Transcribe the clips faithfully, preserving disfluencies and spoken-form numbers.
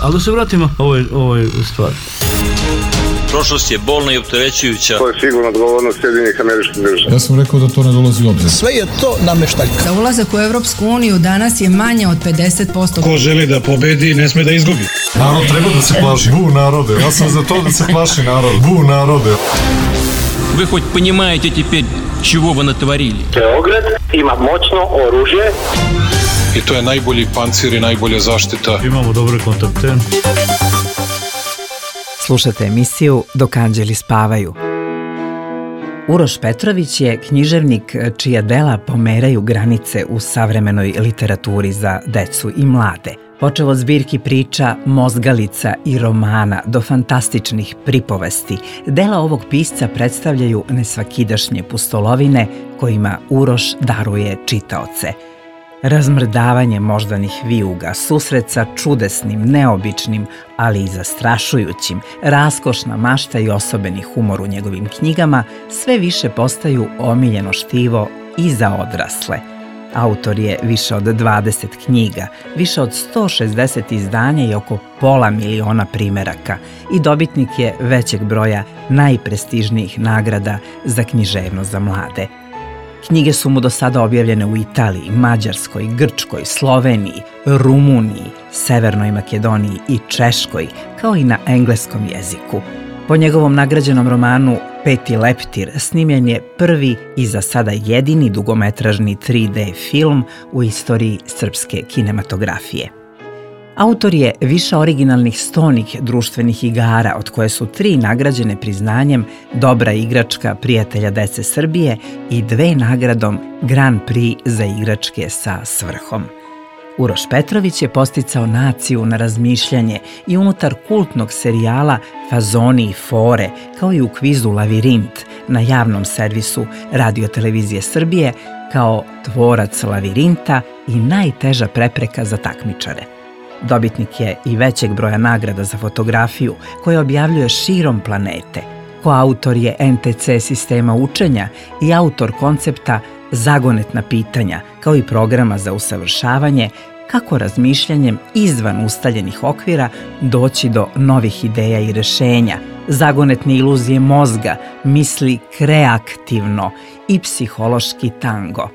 Ali da se vratimo ovoj, ovoj stvari. Prošlost je bolna i opterećujuća. To je sigurno odgovornost Sjedinjenih Američkih Država. Ja sam rekao da to ne dolazi u obzir. Sve je to nameštaljka. Za ulazak u Evropsku uniju danas je manje od pedeset posto. Ko želi da pobedi, ne sme da izgubi. Narod treba da se plaši. Bu narode. Ja sam za to da se plaši narod. Bu narode. Вы хоть понимаете теперь, чего вы натворили? Beograd ima moćno oružje. I to je najbolji pancir i najbolja zaštita. Imamo dobre kontakte. Slušate emisiju Dok anđeli spavaju. Uroš Petrović je književnik čija dela pomeraju granice u savremenoj literaturi za decu i mlade. Počev od zbirki priča, mozgalica i romana do fantastičnih pripovesti, dela ovog pisca predstavljaju nesvakidašnje pustolovine kojima Uroš daruje čitaoce. Razmrdavanje moždanih vijuga, susret sa čudesnim, neobičnim, ali i zastrašujućim, raskošna mašta i osobeni humor u njegovim knjigama sve više postaju omiljeno štivo i za odrasle. Autor je više od dvadeset knjiga, više od sto šezdeset izdanja i oko pola miliona primeraka i dobitnik je većeg broja najprestižnijih nagrada za književnost za mlade. Knjige su mu do sada objavljene u Italiji, Mađarskoj, Grčkoj, Sloveniji, Rumuniji, Severnoj Makedoniji i Češkoj, kao i na engleskom jeziku. Po njegovom nagrađenom romanu Peti leptir snimljen je prvi i za sada jedini dugometražni tri de film u istoriji srpske kinematografije. Autor je više originalnih stonih društvenih igara, od koje su tri nagrađene priznanjem Dobra igračka prijatelja dece Srbije i dve nagradom Grand Prix za igračke sa svrhom. Uroš Petrović je posticao naciju na razmišljanje i unutar kultnog serijala Fazoni i fore, kao i u kvizu Lavirint na javnom servisu Radio-televizije Srbije, kao tvorac lavirinta i najteža prepreka za takmičare. Dobitnik je i većeg broja nagrada za fotografiju koje objavljuje širom planete. Koautor je en te ce sistema učenja i autor koncepta Zagonetna pitanja, kao i programa za usavršavanje kako razmišljanjem izvan ustaljenih okvira doći do novih ideja i rešenja, zagonetne iluzije mozga, misli kreativno i psihološki tango.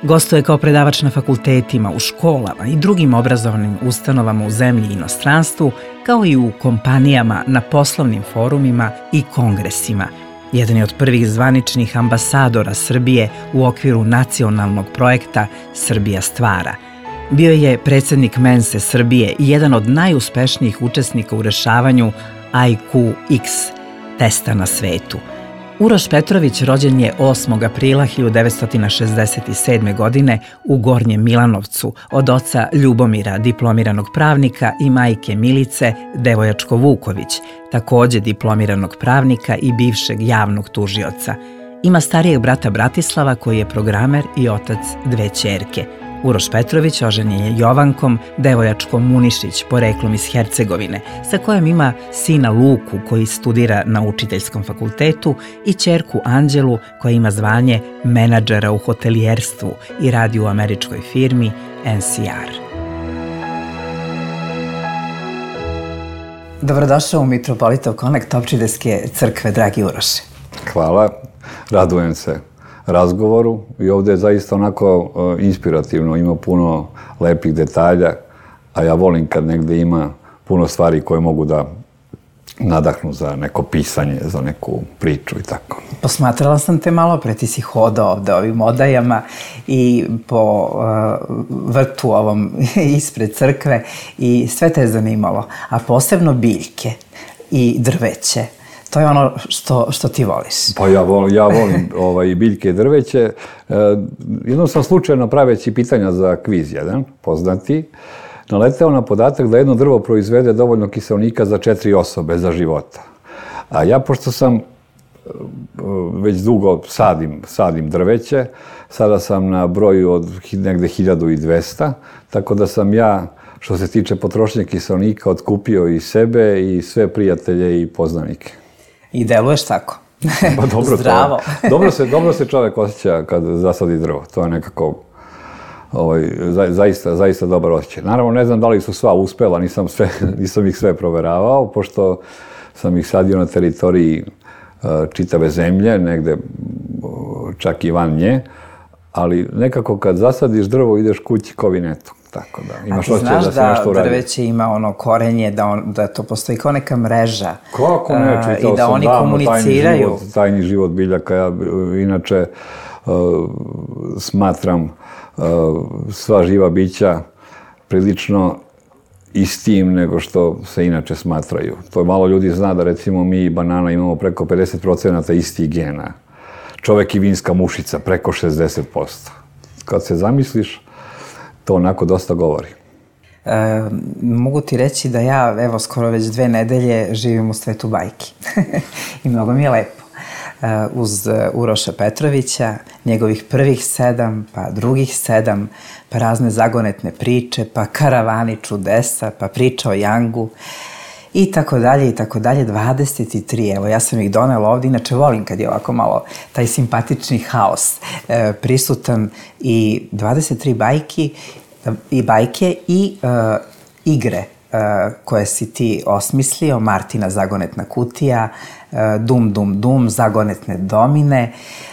Gostuje kao predavač na fakultetima, u školama i drugim obrazovnim ustanovama u zemlji i inostranstvu, kao i u kompanijama, na poslovnim forumima i kongresima. Jedan je od prvih zvaničnih ambasadora Srbije u okviru nacionalnog projekta Srbija stvara. Bio je predsjednik Mense Srbije i jedan od najuspešnijih učesnika u rešavanju I Q X testa na svetu. Uroš Petrović rođen je osmog aprila hiljadu devetsto šezdeset sedme. godine u Gornjem Milanovcu od oca Ljubomira, diplomiranog pravnika, i majke Milice Devojačko-Vuković, takođe diplomiranog pravnika i bivšeg javnog tužioca. Ima starijeg brata Bratislava koji je programer i otac dve ćerke. Uroš Petrović oženjen je Jovankom Devojačko-Munišić, poreklom iz Hercegovine, sa kojom ima sina Luku koji studira na učiteljskom fakultetu i ćerku Anđelu koja ima zvanje menadžera u hotelijerstvu i radi u američkoj firmi en ce er. Dobrodošao u Mitropolitov Connect Opčideske crkve, dragi Uroše. Hvala, radujem se razgovoru i ovdje je zaista onako inspirativno, ima puno lepih detalja, a ja volim kad negdje ima puno stvari koje mogu da nadahnu za neko pisanje, za neku priču i tako. Posmatrala sam te malo pre, ti si hodao ovde ovim odajama i po uh, vrtu ovom ispred crkve i sve te je zanimalo, a posebno biljke i drveće. To je ono što, što ti voliš. Pa ja volim, ja volim ovaj, biljke i drveće. E, jednom sam slučajno praveći pitanja za kviz jedan, poznati, naleteo na podatak da jedno drvo proizvede dovoljno kiseonika za četiri osobe za života. A ja, pošto sam već dugo sadim, sadim drveće, sada sam na broju od negde hiljadu dvesta, tako da sam ja, što se tiče potrošnje kiseonika, otkupio i sebe i sve prijatelje i poznanike. I deluješ tako. Pa dobro, zdravo. To, dobro, se, dobro se čovjek osjeća kad zasadi drvo. To je nekako ovaj, za, zaista, zaista dobar osjećaj. Naravno, ne znam da li su sva uspela, nisam, sve, nisam ih sve proveravao, pošto sam ih sadio na teritoriji čitave zemlje, negde čak i van nje, ali nekako kad zasadiš drvo ideš kući ko vinetu. Tako da, imaš a ti znaš da, da, da drveće ima ono korenje, da, on, da to postoji kao neka mreža. Kako ne, čitao i da sam oni davno komuniciraju. Tajni život, tajni život biljaka. Ja inače uh, smatram uh, sva živa bića prilično istim nego što se inače smatraju. To malo ljudi zna da recimo mi i banana imamo preko pedeset procenata istih gena. Čovek i vinska mušica preko šezdeset posto. Kad se zamisliš, to onako dosta govori. E, mogu ti reći da ja, evo, skoro već dve nedelje živim u svetu bajki. I mnogo mi je lepo. E, uz Uroša Petrovića, njegovih prvih sedam, pa drugih sedam, pa razne zagonetne priče, pa karavani čudesa, pa priča o Jangu, i tako dalje, i tako dalje, dvadeset tri, evo, ja sam ih donela ovde, inače volim kad je ovako malo taj simpatični haos e, prisutan, i dvadeset tri bajki, i bajke i e, igre e, koje si ti osmislio, Martina zagonetna kutija, e, Dum Dum Dum, zagonetne domine,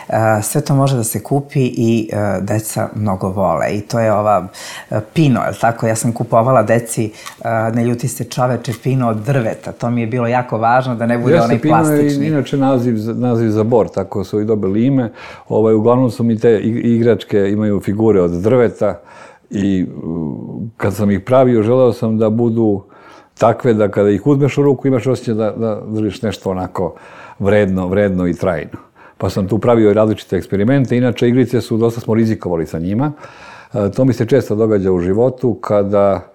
e, sve to može da se kupi i e, deca mnogo vole. I to je ova e, pino, je li tako? Ja sam kupovala deci, e, ne ljuti se čoveče, pino od drveta. To mi je bilo jako važno da ne bude Jeste, onaj plastični. Pino je inače naziv, naziv za bor, tako su i dobili ime. Ovaj, uglavnom su mi te igračke, imaju figure od drveta. I kad sam ih pravio, želeo sam da budu takve da kada ih uzmeš u ruku imaš osjećaj da, da držiš nešto onako vredno, vredno i trajno. Pa sam tu pravio i različite eksperimente. Inače, igrice su, dosta smo rizikovali sa njima. E, to mi se često događa u životu kada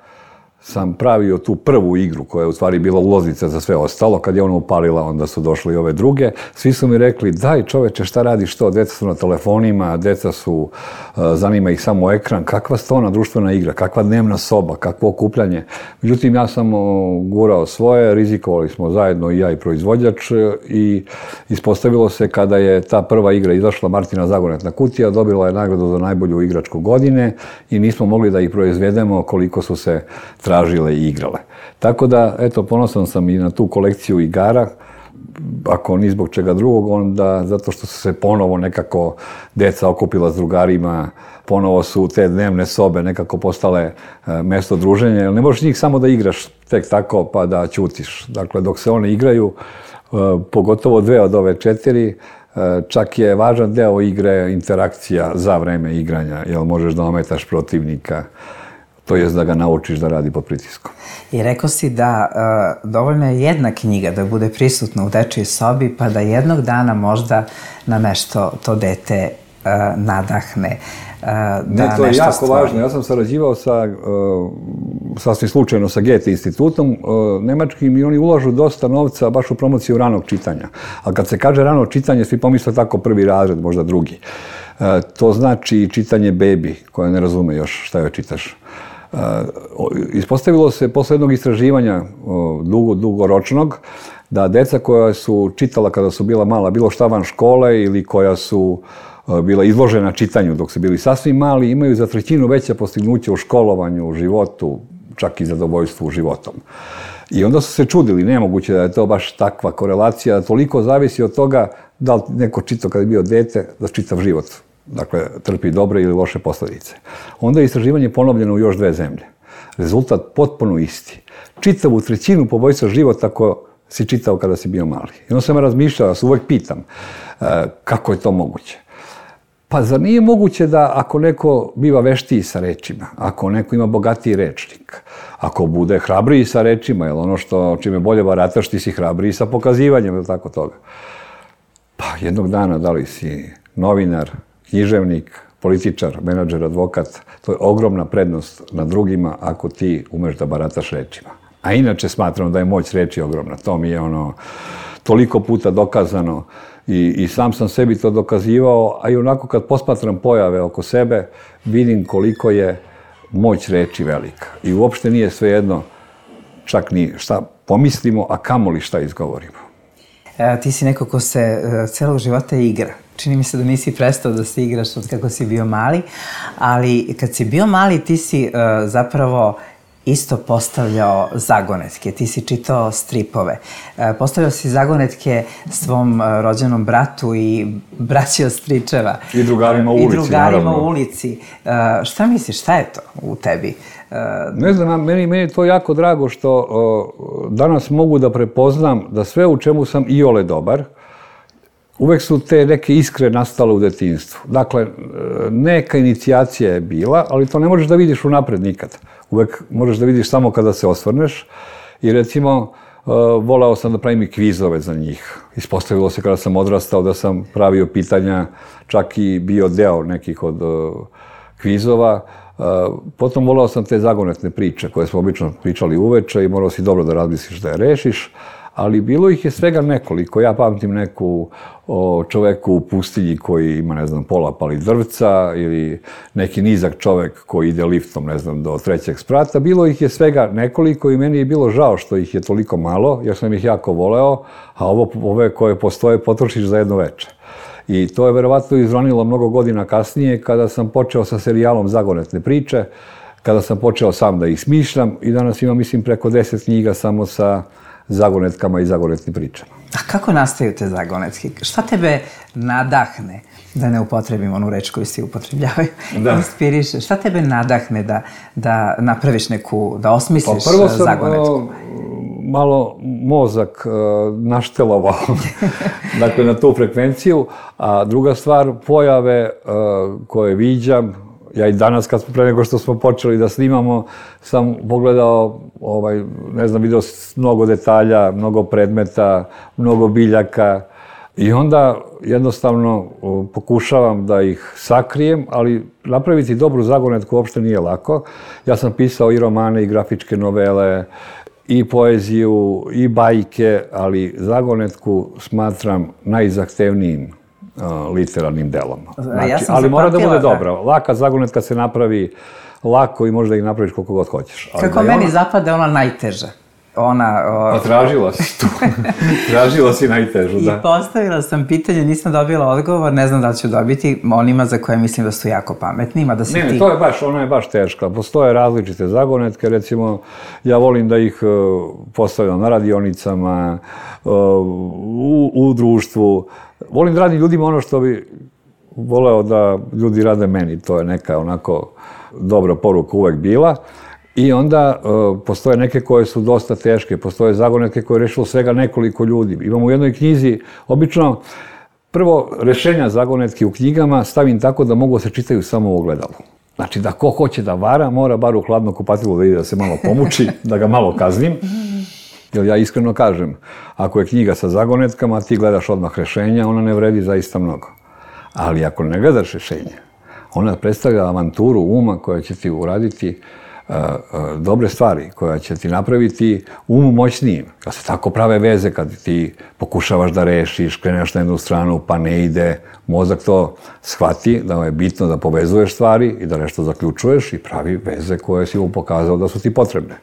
sam pravio tu prvu igru koja je u stvari bila ulaznica za sve ostalo. Kad je ona upalila, onda su došli i ove druge. Svi su mi rekli, daj čoveče, šta radiš to? Deca su na telefonima, deca su, zanima ih samo ekran. Kakva stona društvena igra, kakva dnevna soba, kakvo okupljanje. Međutim, ja sam gurao svoje, rizikovali smo zajedno i ja i proizvođač, i ispostavilo se kada je ta prva igra izašla, Martina zagonetna kutija, dobila je nagradu za najbolju igračku godine i nismo mogli da ih proizvedemo koliko su se tražile i igrale. Tako da, eto, ponosan sam i na tu kolekciju igara, ako ni zbog čega drugog, onda zato što su se ponovo nekako deca okupila s drugarima, ponovo su te dnevne sobe nekako postale mesto druženja, jer ne možeš njih samo da igraš tek tako pa da ćutiš. Dakle, dok se one igraju, pogotovo dve od ove četiri, čak je važan deo igre interakcija za vreme igranja, jer možeš da ometaš protivnika, to jest da ga naučiš da radi pod pritiskom. I rekao si da uh, dovoljno je jedna knjiga da bude prisutna u dečijoj sobi, pa da jednog dana možda na nešto to dete uh, nadahne. Uh, da ne, to je jako stvori. važno. Ja sam sarađivao sa, uh, sasvim slučajno sa Goethe institutom, uh, nemačkim, i oni ulažu dosta novca baš u promociju ranog čitanja. A kad se kaže rano čitanje, svi pomisle tako prvi razred, možda drugi. Uh, to znači čitanje bebi, koja ne razume još šta joj čitaš. Uh, ispostavilo se posle jednog istraživanja uh, dugo, dugoročnog, da deca koja su čitala kada su bila mala, bilo šta van škole ili koja su uh, bila izložena čitanju dok su bili sasvim mali, imaju za trećinu veća postignuća u školovanju, u životu, čak i zadovoljstvu životom. I onda su se čudili, nemoguće da je to baš takva korelacija, toliko zavisi od toga da li neko čitao kada je bio dete, da čitav život. Dakle, trpi dobre ili loše posljedice. Onda je istraživanje ponovljeno u još dve zemlje. Rezultat potpuno isti. Čitavu trećinu poboljša život ako si čitao kada si bio mali. I onda sam razmišljao, ja se uvek pitam, kako je to moguće? Pa zar nije moguće da ako neko biva veštiji sa rečima, ako neko ima bogatiji rečnik, ako bude hrabriji sa rečima, jer ono što čime bolje barataš, ti si hrabriji sa pokazivanjem, ili tako toga. Pa jednog dana, da li si novinar, književnik, političar, menadžer, advokat, to je ogromna prednost na drugima ako ti umeš da barataš rečima. A inače smatram da je moć reči ogromna. To mi je ono toliko puta dokazano i, i sam sam sebi to dokazivao, a i onako kad posmatram pojave oko sebe, vidim koliko je moć reči velika. I uopšte nije svejedno čak ni šta pomislimo, a kamoli šta izgovorimo. E, ti si neko ko se e, celog života igra. Čini mi se da nisi prestao da se igraš od kako si bio mali, ali kad si bio mali ti si uh, zapravo isto postavljao zagonetke, ti si čitao stripove. Uh, postavljao si zagonetke svom uh, rođenom bratu i braći od stričeva. I drugarima u ulici, I drugarima naravno. u ulici. Uh, šta misliš, šta je to u tebi? Uh, Ne znam, meni, meni je to jako drago što uh, danas mogu da prepoznam da sve u čemu sam iole dobar, uvek su te neke iskre nastale u detinjstvu. Dakle, neka inicijacija je bila, ali to ne možeš da vidiš unapred nikad. Uvek možeš da vidiš samo kada se osvrneš. I recimo, voleo sam da pravim i kvizove za njih. Ispostavilo se kada sam odrastao da sam pravio pitanja, čak i bio deo nekih od kvizova. Potom voleo sam te zagonetne priče koje smo obično pričali uveče i morao si dobro da razmisliš da je rešiš. Ali bilo ih je svega nekoliko. Ja pamtim neku o čoveku u pustinji koji ima, ne znam, pola pali drvca ili neki nizak čovek koji ide liftom, ne znam, do trećeg sprata. Bilo ih je svega nekoliko i meni je bilo žao što ih je toliko malo, jer sam ih jako voleo, a ovo, ove koje postoje potrošiš za jedno veče. I to je verovatno izronilo mnogo godina kasnije kada sam počeo sa serijalom Zagonetne priče, kada sam počeo sam da ih smišljam i danas imam, mislim, preko deset knjiga samo sa zagonetkama i zagonetnim pričama. A kako nastaju te zagonetke? Šta tebe nadahne, da ne upotrebim onu reč koju svi upotrebljavaju, da. Inspiriše? Šta tebe nadahne da, da napraviš neku, da osmisliš zagonetku? Pa prvo sam uh, malo mozak uh, naštelovao dakle, na tu frekvenciju, a druga stvar, pojave uh, koje viđam. Ja i danas, kad smo pre nego što smo počeli da snimamo, sam pogledao, ovaj, ne znam, video mnogo detalja, mnogo predmeta, mnogo biljaka i onda jednostavno pokušavam da ih sakrijem, ali napraviti dobru zagonetku uopšte nije lako. Ja sam pisao i romane, i grafičke novele, i poeziju, i bajke, ali zagonetku smatram najzahtevnijim literarnim delom. Znači, ja ali mora da bude dobra. Laka zagonetka se napravi lako i možda ih napraviš koliko god hoćeš. Ali kako meni ona... zapada ona najteža. Ona... O... Pa tražila si tu. Tražila si najtežu, da. I postavila sam pitanje, nisam dobila odgovor, ne znam da li ću dobiti onima za koje mislim da su jako pametni, ima da se ne, ti... Ne, to je baš, ona je baš teška. Postoje različite zagonetke, recimo, ja volim da ih uh, postavljam na radionicama, uh, u, u društvu. Volim da radim ljudima ono što bi voleo da ljudi rade meni. To je neka onako dobra poruka uvek bila. I onda uh, postoje neke koje su dosta teške. Postoje zagonetke koje je rešilo svega nekoliko ljudi. Imamo u jednoj knjizi, obično, prvo, rešenja zagonetke u knjigama stavim tako da mogu da se čitaju samo u ogledalu. Znači da ko hoće da vara, mora bar u hladno kupatilo da ide da se malo pomuči, da ga malo kaznim. Jer ja iskreno kažem, ako je knjiga sa zagonetkama, ti gledaš odmah rešenja, ona ne vredi zaista mnogo. Ali ako ne gledaš rešenja, ona predstavlja avanturu uma koja će ti uraditi uh, uh, dobre stvari, koja će ti napraviti um moćnijim. Kad se tako prave veze, kad ti pokušavaš da rešiš, kreneš na jednu stranu pa ne ide, mozak to shvati da je bitno da povezuješ stvari i da nešto zaključuješ i pravi veze koje si mu pokazao da su ti potrebne.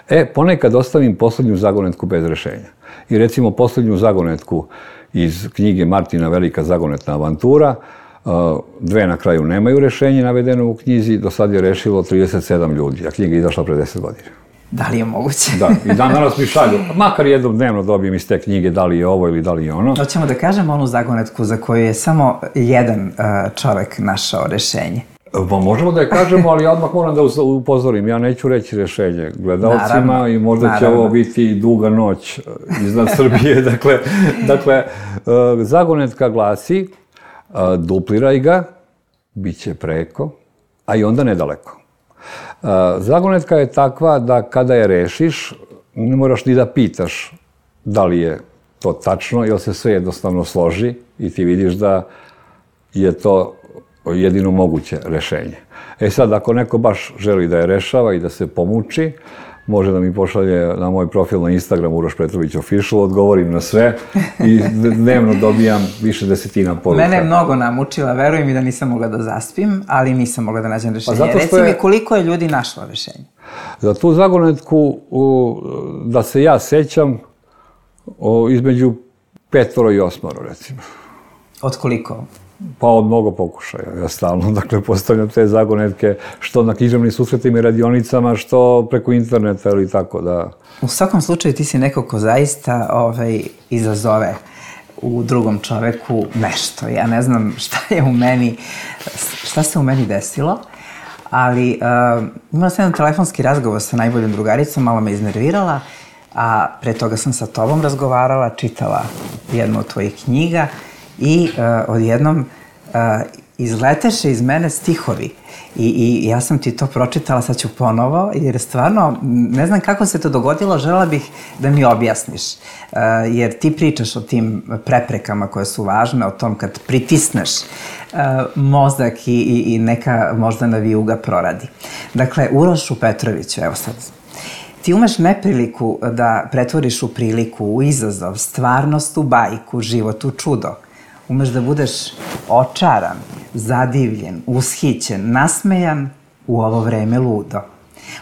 E, ponekad ostavim poslednju zagonetku bez rešenja. I recimo poslednju zagonetku iz knjige Martina Velika zagonetna avantura, dve na kraju nemaju rešenje navedeno u knjizi, do sad je rešilo trideset sedam ljudi, a knjiga je izašla pre deset godina. Da li je moguće? Da, i dan danas mi šalju, makar jednom dnevno dobijem iz te knjige da li je ovo ili da li je ono. Hoćemo da kažemo onu zagonetku za koju je samo jedan čovek našao rešenje. Pa možemo da je kažemo, ali odmah moram da upozorim. Ja neću reći rešenje gledalcima i možda naravno. Će ovo biti duga noć iznad Srbije. Dakle, dakle, zagonetka glasi, dupliraj ga, bit će preko, a i onda nedaleko. Zagonetka je takva da kada je rešiš, ne moraš ni da pitaš da li je to tačno, jer se sve jednostavno složi i ti vidiš da je to jedino moguće rešenje. E sad, ako neko baš želi da je rešava i da se pomuči, može da mi pošalje na moj profil na Instagram Uroš Petrović Official, odgovorim na sve i dnevno dobijam više desetina poruka. Mene je mnogo namučila, verujem mi da nisam mogla da zaspim, ali nisam mogla da nađem rešenje. Pa reci mi koliko je ljudi našlo rešenje? Za tu zagonetku, da se ja sećam, između petoro i osmoro, recimo. Od koliko? Pa od mnogo pokušaja, ja stalno, dakle, postavljam te zagonetke, što na književnim susretima i radionicama, što preko interneta ili tako, da. U svakom slučaju ti si neko ko zaista ovaj, izazove u drugom čoveku nešto. Ja ne znam šta je u meni, šta se u meni desilo, ali uh, imala sam jedan telefonski razgovor sa najboljom drugaricom, malo me iznervirala, a pre toga sam sa tobom razgovarala, čitala jednu od tvojih knjiga i uh, odjednom uh, izleteše iz mene stihovi. I, I ja sam ti to pročitala, sad ću ponovo, jer stvarno, ne znam kako se to dogodilo, želela bih da mi objasniš. Uh, jer ti pričaš o tim preprekama koje su važne, o tom kad pritisneš uh, mozak i, i, i neka moždana vijuga proradi. Dakle, Urošu Petroviću, evo sad, ti umeš nepriliku da pretvoriš u priliku, u izazov, stvarnost u bajku, život u čudo. Umeš da budeš očaran, zadivljen, ushićen, nasmejan, u ovo vreme ludo.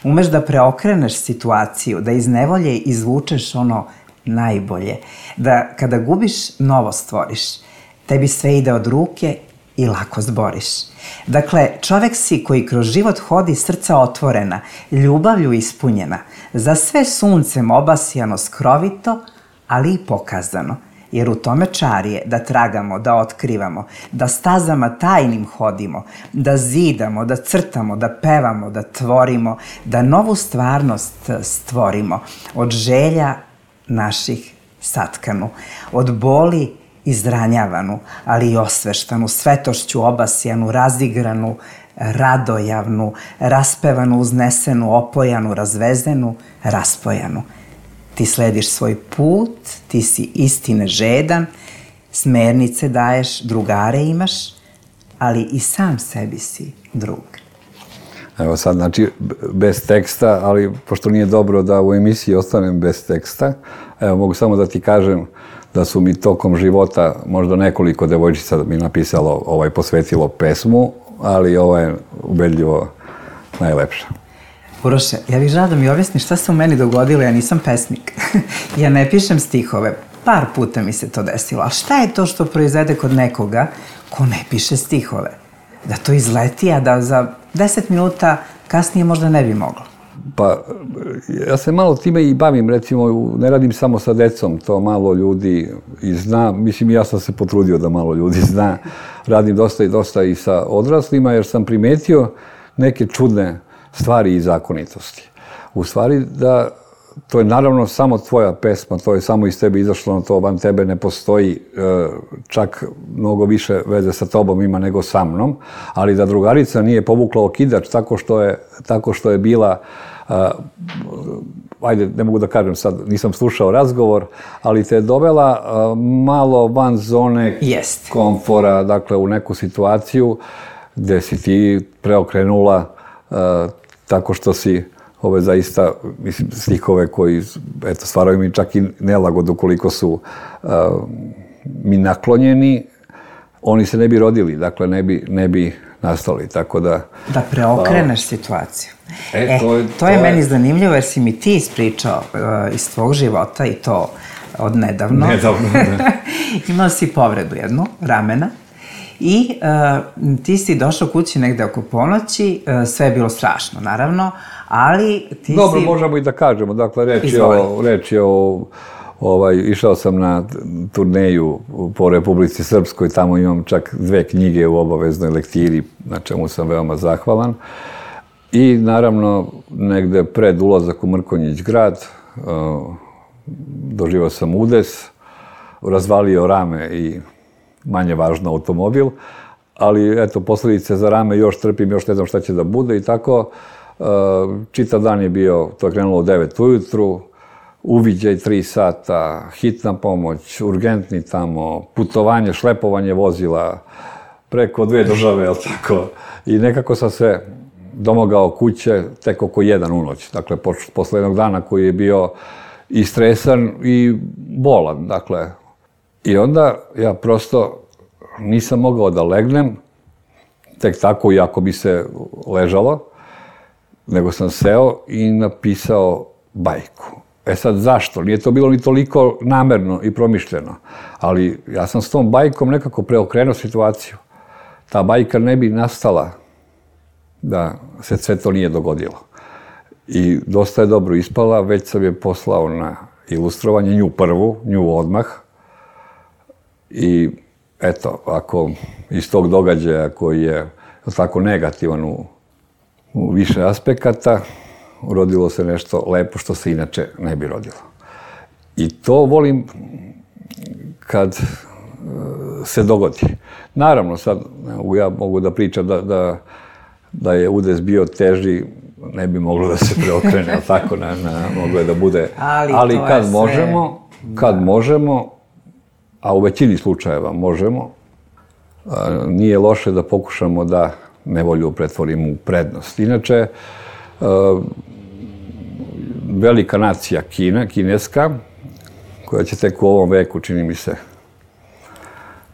Umeš da preokreneš situaciju, da iz nevolje izvučeš ono najbolje, da kada gubiš, novo stvoriš. Tebi sve ide od ruke i lako zboriš. Dakle, čovek si koji kroz život hodi srca otvorena, ljubavlju ispunjena, za sve suncem obasjano skrovito, ali i pokazano. Jer u tome čar je da tragamo, da otkrivamo, da stazama tajnim hodimo, da zidamo, da crtamo, da pevamo, da tvorimo, da novu stvarnost stvorimo, od želja naših satkanu, od boli izranjavanu, ali i osveštanu, svetošću obasjanu, razigranu, radojavnu, raspevanu, uznesenu, opojanu, razvezenu, raspojanu. Ti slediš svoj put, ti si istine žedan, smernice daješ, drugare imaš, ali i sam sebi si drug. Evo sad, znači, bez teksta, ali pošto nije dobro da u emisiji ostanem bez teksta, evo, mogu samo da ti kažem da su mi tokom života možda nekoliko devojčica mi napisalo, ovaj, posvetilo pesmu, ali ovo je ubedljivo najlepša. Uroše, ja bih žela da mi objasniš šta se u meni dogodilo, ja nisam pesnik. Ja ne pišem stihove, par puta mi se to desilo. A šta je to što proizvede kod nekoga ko ne piše stihove? Da to izleti, a da za deset minuta kasnije možda ne bi moglo. Pa, ja se malo time i bavim, recimo, ne radim samo sa decom, to malo ljudi i zna, mislim, ja sam se potrudio da malo ljudi zna. Radim dosta i dosta i sa odraslima, jer sam primetio neke čudne stvari i zakonitosti. U stvari da to je naravno samo tvoja pesma, to je samo iz tebe izašlo, to van tebe ne postoji, čak mnogo više veze sa tobom ima nego sa mnom, ali da drugarica nije povukla okidač tako što je, tako što je bila, ajde, ne mogu da kažem sad, nisam slušao razgovor, ali te je dovela malo van zone komfora, dakle u neku situaciju gde si ti preokrenula tako što si ove zaista, mislim, stihove koji, eto, stvaraju mi čak i nelagodu koliko su uh, mi naklonjeni, oni se ne bi rodili, dakle, ne bi, ne bi nastali, tako da... Da preokreneš uh, situaciju. E, e, to je, to, to je meni je... zanimljivo, jer si mi ti ispričao uh, iz tvog života i to od nedavno. Nedavno, ne. Imao si povredu jednu, ramena. I uh, ti si došao kući negde oko ponoći, uh, sve je bilo strašno, naravno, ali ti Dobro, si... Dobro, možemo i da kažemo, dakle, reč je o, reč je o ovaj, išao sam na turneju po Republici Srpskoj, tamo imam čak dve knjige u obaveznoj lektiri, na čemu sam veoma zahvalan. I naravno, negde pred ulazak u Mrkonjić grad, uh, doživao sam udes, razvalio rame i manje važno automobil, ali eto, posljedice za rame još trpim, još ne znam šta će da bude i tako. Čitav dan je bio, to je krenulo u devet ujutru, uviđaj tri sata, hitna pomoć, urgentni tamo, putovanje, šlepovanje vozila preko dve države, jel tako? I nekako sam se domogao kuće tek oko jedan u noć. Dakle, posle jednog dana koji je bio i stresan i bolan, dakle. I onda ja prosto nisam mogao da legnem, tek tako, iako bi se ležalo, nego sam seo i napisao bajku. E sad, zašto? Nije to bilo ni toliko namerno i promišljeno, ali ja sam s tom bajkom nekako preokrenuo situaciju. Ta bajka ne bi nastala da se sve to nije dogodilo. I dosta je dobro ispala, već sam je poslao na ilustrovanje, nju prvu, nju odmah. I eto, ako iz tog događaja koji je tako negativan u, u više aspekata, rodilo se nešto lepo što se inače ne bi rodilo. I to volim kad se dogodi. Naravno, sad ja mogu da pričam da, da, da je udes bio teži, ne bi moglo da se preokrene, tako, na, na, moglo je da bude. Ali, ali kad sve... možemo, kad da. možemo, a u većini slučajeva možemo, a, nije loše da pokušamo da nevolju pretvorimo u prednost. Inače, a, velika nacija Kina, kineska, koja će tek u ovom veku, čini mi se,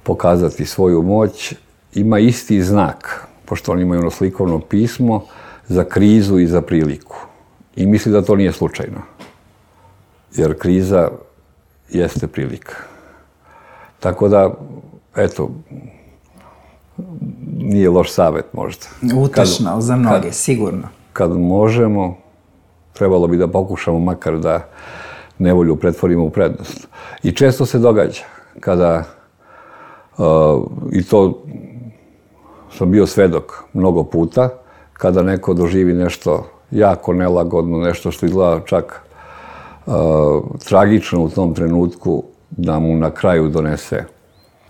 pokazati svoju moć, ima isti znak, pošto oni imaju ono slikovno pismo, za krizu i za priliku. I misli da to nije slučajno. Jer kriza jeste prilika. Tako da, eto, nije loš savjet možda. Utešno kad, za mnoge, kad, sigurno. Kad možemo, trebalo bi da pokušamo makar da nevolju pretvorimo u prednost. I često se događa kada, uh, i to sam bio svedok mnogo puta, kada neko doživi nešto jako nelagodno, nešto što izgleda čak uh, tragično u tom trenutku, da mu na kraju donese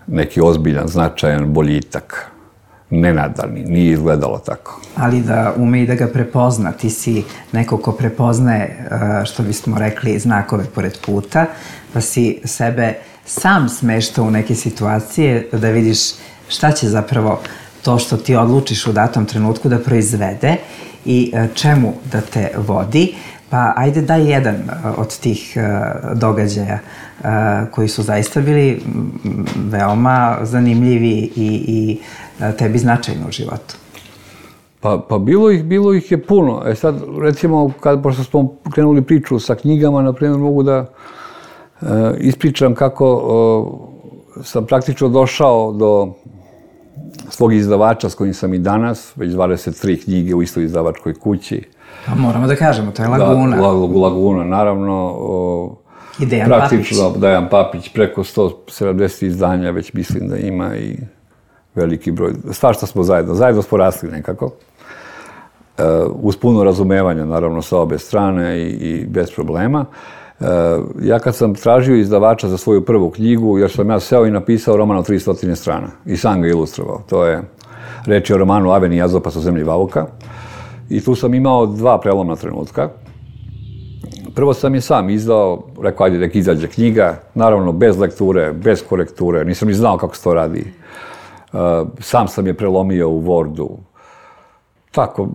neki ozbiljan, značajan boljitak. Nenadani, nije izgledalo tako. Ali da ume i da ga prepozna. Ti si neko ko prepoznaje, što bismo rekli, znakove pored puta, pa si sebe sam smeštao u neke situacije da vidiš šta će zapravo to što ti odlučiš u datom trenutku da proizvede i čemu da te vodi. Pa ajde daj jedan od tih događaja koji su zaista bili veoma zanimljivi i, i tebi značajni u životu. Pa, pa bilo ih, bilo ih je puno. E sad, recimo, kad, pošto smo krenuli priču sa knjigama, na primjer, mogu da e, ispričam kako e, sam praktično došao do svog izdavača s kojim sam i danas, već dvadeset tri knjige u istoj izdavačkoj kući. Pa moramo da kažemo, to je Laguna. Da, Laguna, naravno. O, I Dejan praktično, Papić. Dejan Papić, preko sto sedamdeset izdanja već mislim da ima i veliki broj. Svašta smo zajedno, zajedno smo rasli nekako. E, uz puno razumevanja, naravno, sa obe strane i, i bez problema. E, ja kad sam tražio izdavača za svoju prvu knjigu, jer sam ja seo i napisao roman od tristo strana i sam ga ilustrovao. To je reč je o romanu Aveni i Azopas u zemlji Vauka. I tu sam imao dva prelomna trenutka. Prvo sam je sam izdao, rekao, ajde, nek izađe knjiga, naravno bez lekture, bez korekture, nisam ni znao kako se to radi. Uh, sam sam je prelomio u Wordu. Tako,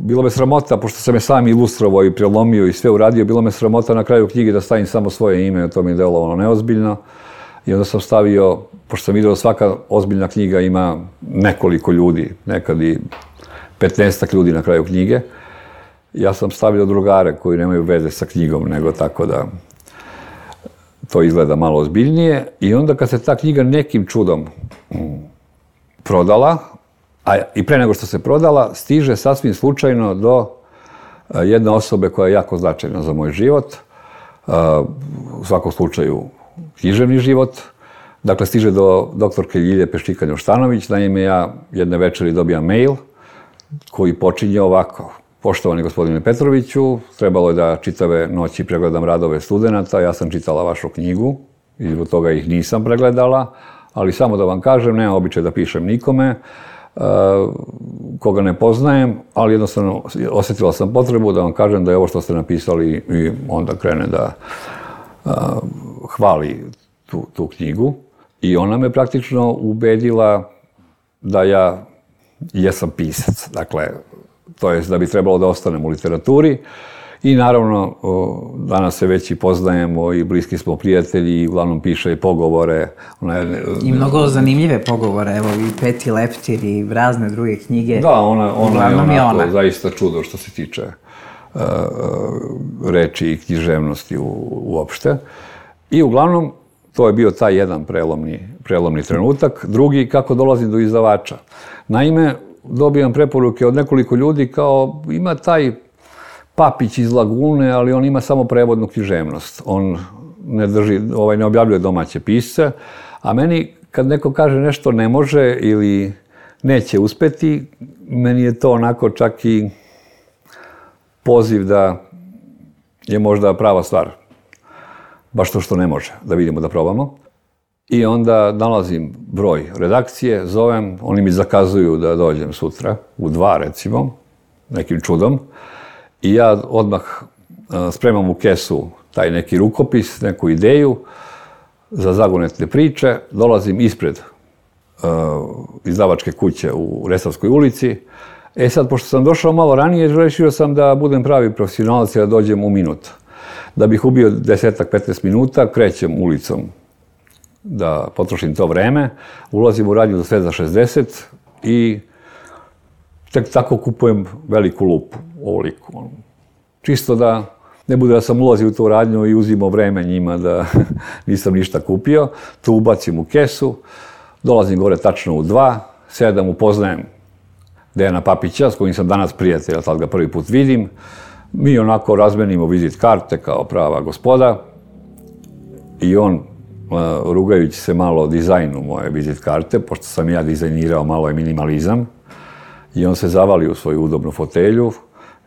bilo me sramota, pošto sam je sam ilustrovao i prelomio i sve uradio, bilo me sramota na kraju knjige da stavim samo svoje ime, to mi je delovalo neozbiljno. I onda sam stavio, pošto sam vidio da svaka ozbiljna knjiga ima nekoliko ljudi, nekad i petnaestak ljudi na kraju knjige. Ja sam stavio drugare koji nemaju veze sa knjigom, nego tako da to izgleda malo ozbiljnije. I onda kad se ta knjiga nekim čudom prodala, a i pre nego što se prodala, stiže sasvim slučajno do jedne osobe koja je jako značajna za moj život, u svakom slučaju književni život. Dakle, stiže do doktorke Ljilje Peščika-Njoštanović, naime ja jedne večeri dobijam mail koji počinje ovako. Poštovani gospodine Petroviću, trebalo je da čitave noći pregledam radove studenata, ja sam čitala vašu knjigu i zbog toga ih nisam pregledala, ali samo da vam kažem, nemam običaj da pišem nikome, uh, koga ne poznajem, ali jednostavno osjetila sam potrebu da vam kažem da je ovo što ste napisali i onda krene da uh, hvali tu, tu knjigu. I ona me praktično ubedila da ja jesam pisac, dakle, to je da bi trebalo da ostanem u literaturi. I naravno, danas se već i poznajemo i bliski smo prijatelji i uglavnom piše i pogovore. Ona je, I mnogo zanimljive pogovore, evo i Peti leptir i razne druge knjige. Da, ona, ona je onako ona. Zaista čudo što se tiče uh, reči i književnosti u, uopšte. I uglavnom, to je bio taj jedan prelomni, prelomni trenutak. Drugi, kako dolazim do izdavača. Naime, dobijam preporuke od nekoliko ljudi kao ima taj Papić iz Lagune, ali on ima samo prevodnu književnost. On ne drži, ovaj, ne objavljuje domaće pisce, a meni kad neko kaže nešto ne može ili neće uspeti, meni je to onako čak i poziv da je možda prava stvar. Baš to što ne može, da vidimo, da probamo. I onda nalazim broj redakcije, zovem, oni mi zakazuju da dođem sutra, u dva recimo, nekim čudom. I ja odmah spremam u kesu taj neki rukopis, neku ideju za zagonetne priče, dolazim ispred uh, izdavačke kuće u Resavskoj ulici. E sad, pošto sam došao malo ranije, rešio sam da budem pravi profesionalac i da dođem u minut. Da bih ubio desetak, petnaest minuta, krećem ulicom da potrošim to vreme, ulazim u radnju za sve za šezdeset i tek tako kupujem veliku lupu, ovoliku. Čisto da ne bude da sam ulazio u tu radnju i uzimao vreme njima da nisam ništa kupio. To ubacim u kesu, dolazim gore tačno u dva, sedam, upoznajem Dejana Papića, s kojim sam danas prijatelj, a tad ga prvi put vidim. Mi onako razmenimo vizit karte kao prava gospoda i on, rugajući se malo o dizajnu moje vizit karte, pošto sam ja dizajnirao malo je minimalizam, i on se zavali u svoju udobnu fotelju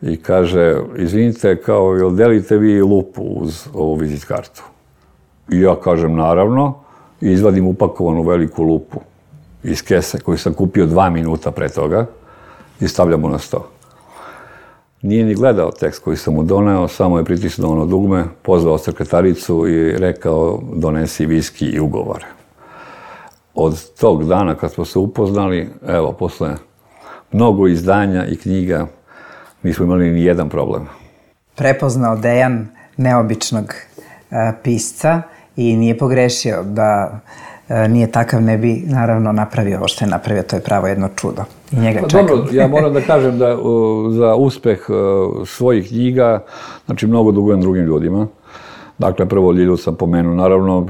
i kaže, izvinite, kao, jel delite vi lupu uz ovu vizit kartu? I ja kažem, naravno, i izvadim upakovanu veliku lupu iz kese koju sam kupio dva minuta pre toga i stavljamo na sto. Nije ni gledao tekst koji sam mu doneo, samo je pritisnuo ono dugme, pozvao sekretaricu i rekao, donesi viski i ugovore. Od tog dana kad smo se upoznali, evo, posle mnogo izdanja i knjiga, nismo imali ni jedan problem. Prepoznao Dejan neobičnog e, pisca i nije pogrešio da e, nije takav, ne bi naravno napravio ovo što je napravio, to je pravo jedno čudo. I njega pa, čekam. Dobro, ja moram da kažem da uh, za uspeh uh, svojih knjiga, znači mnogo dugujem drugim ljudima. Dakle, prvo Ljilju sam pomenuo, naravno,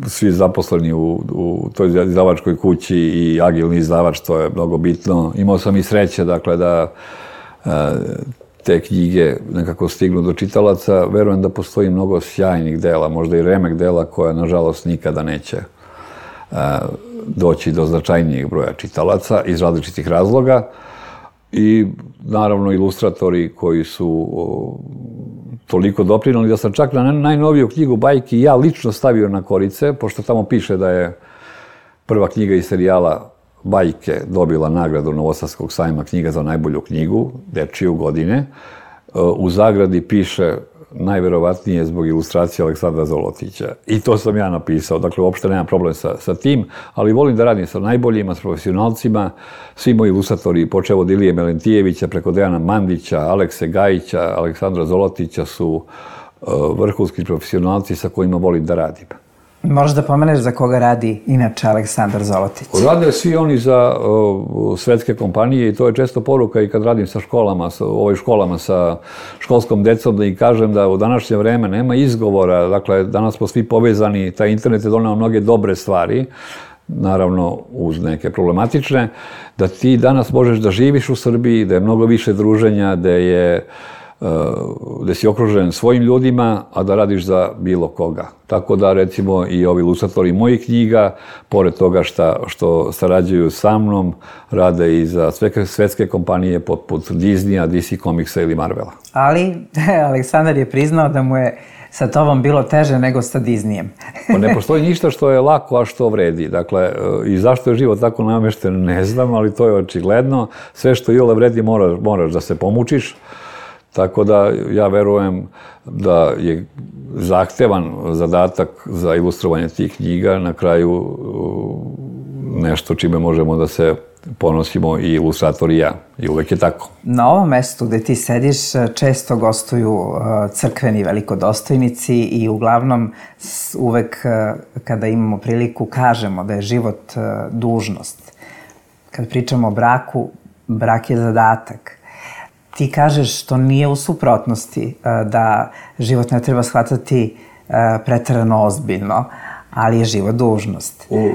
svi zaposleni u, u toj izdavačkoj kući i agilni izdavač, to je mnogo bitno. Imao sam i sreće, dakle, da uh, te knjige nekako stignu do čitalaca. Verujem da postoji mnogo sjajnih dela, možda i remek dela koja, nažalost, nikada neće uh, doći do značajnijeg broja čitalaca iz različitih razloga. I, naravno, ilustratori koji su uh, toliko doprinali da sam čak na najnoviju knjigu bajki ja lično stavio na korice, pošto tamo piše da je prva knjiga iz serijala Bajke dobila nagradu Novosadskog sajma knjiga za najbolju knjigu, dečiju godine. U zagradi piše najverovatnije zbog ilustracije Aleksandra Zolotića. I to sam ja napisao, dakle uopšte nema problem sa, sa tim, ali volim da radim sa najboljima, s profesionalcima. Svi moji ilustratori, počev od Ilije Melentijevića, preko Dejana Mandića, Alekse Gajića, Aleksandra Zolotića su uh, vrhunski profesionalci sa kojima volim da radim. Možeš da pomeneš za koga radi inače Aleksandar Zolotić? Rade svi oni za uh, svetske kompanije i to je često poruka i kad radim sa školama, sa, u ovoj školama sa školskom decom, da im kažem da u današnje vreme nema izgovora, dakle danas smo svi povezani, taj internet je doneo mnoge dobre stvari, naravno uz neke problematične, da ti danas možeš da živiš u Srbiji, da je mnogo više druženja, da je da si okružen svojim ljudima, a da radiš za bilo koga. Tako da, recimo, i ovi ilustratori mojih knjiga, pored toga šta, što sarađuju sa mnom, rade i za sve svetske kompanije poput Disneya, D C Comicsa ili Marvela. Ali, Aleksandar je priznao da mu je sa tobom bilo teže nego sa Disneyem. Pa ne postoji ništa što je lako, a što vredi. Dakle, i zašto je život tako namešten, ne znam, ali to je očigledno. Sve što iole vredi moraš, moraš da se pomučiš. Tako da ja verujem da je zahtevan zadatak za ilustrovanje tih knjiga na kraju nešto čime možemo da se ponosimo i ilustrator i ja. I uvek je tako. Na ovom mestu gde ti sediš često gostuju crkveni velikodostojnici i uglavnom uvek kada imamo priliku kažemo da je život dužnost. Kad pričamo o braku, brak je zadatak. ti kažeš što nije u suprotnosti, da život ne treba shvatati preterano ozbiljno, ali je život dužnost. U...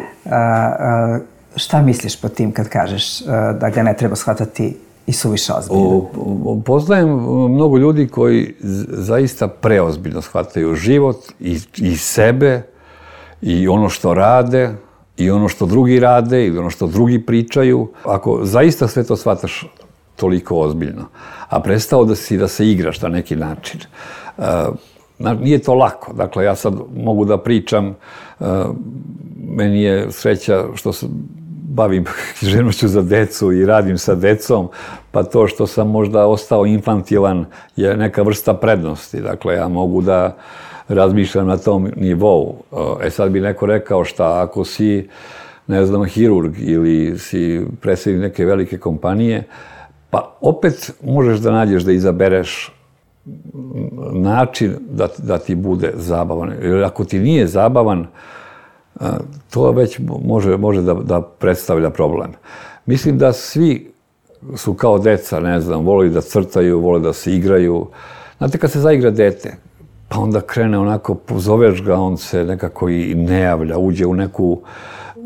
Šta misliš po tim kad kažeš da ga ne treba shvatati i suviše ozbiljno? Poznajem mnogo ljudi koji zaista preozbiljno shvataju život i, i sebe i ono što rade i ono što drugi rade i ono što drugi pričaju. Ako zaista sve to shvataš toliko ozbiljno, a prestao da si da se igraš na neki način, nije to lako. Dakle, ja sad mogu da pričam, meni je sreća što se bavim književnošću za decu i radim sa decom, pa to što sam možda ostao infantilan je neka vrsta prednosti. Dakle, ja mogu da razmišljam na tom nivou. E sad bi neko rekao šta, ako si, ne znam, hirurg ili si predsjednik neke velike kompanije, pa opet možeš da nađeš da izabereš način da, da ti bude zabavan. Jer ako ti nije zabavan, to već može, može da, da predstavlja problem. Mislim da svi su kao deca, ne znam, vole da crtaju, vole da se igraju. Znate, kad se zaigra dete, pa onda krene onako, pozoveš ga, on se nekako i ne javlja, uđe u neku,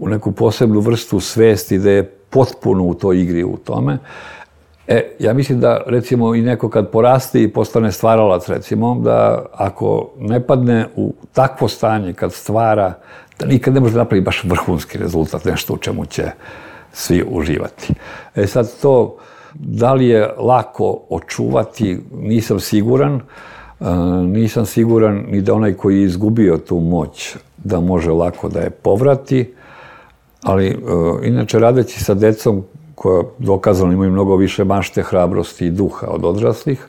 u neku posebnu vrstu svesti da je potpuno u toj igri, u tome. E, ja mislim da, recimo, i neko kad poraste i postane stvaralac, recimo, da ako ne padne u takvo stanje kad stvara, da nikad ne može napraviti baš vrhunski rezultat, nešto u čemu će svi uživati. E sad to, da li je lako očuvati, nisam siguran. Nisam siguran ni da onaj koji je izgubio tu moć da može lako da je povrati, ali inače radeći sa decom koja dokazano imaju mnogo više mašte, hrabrosti i duha od odraslih,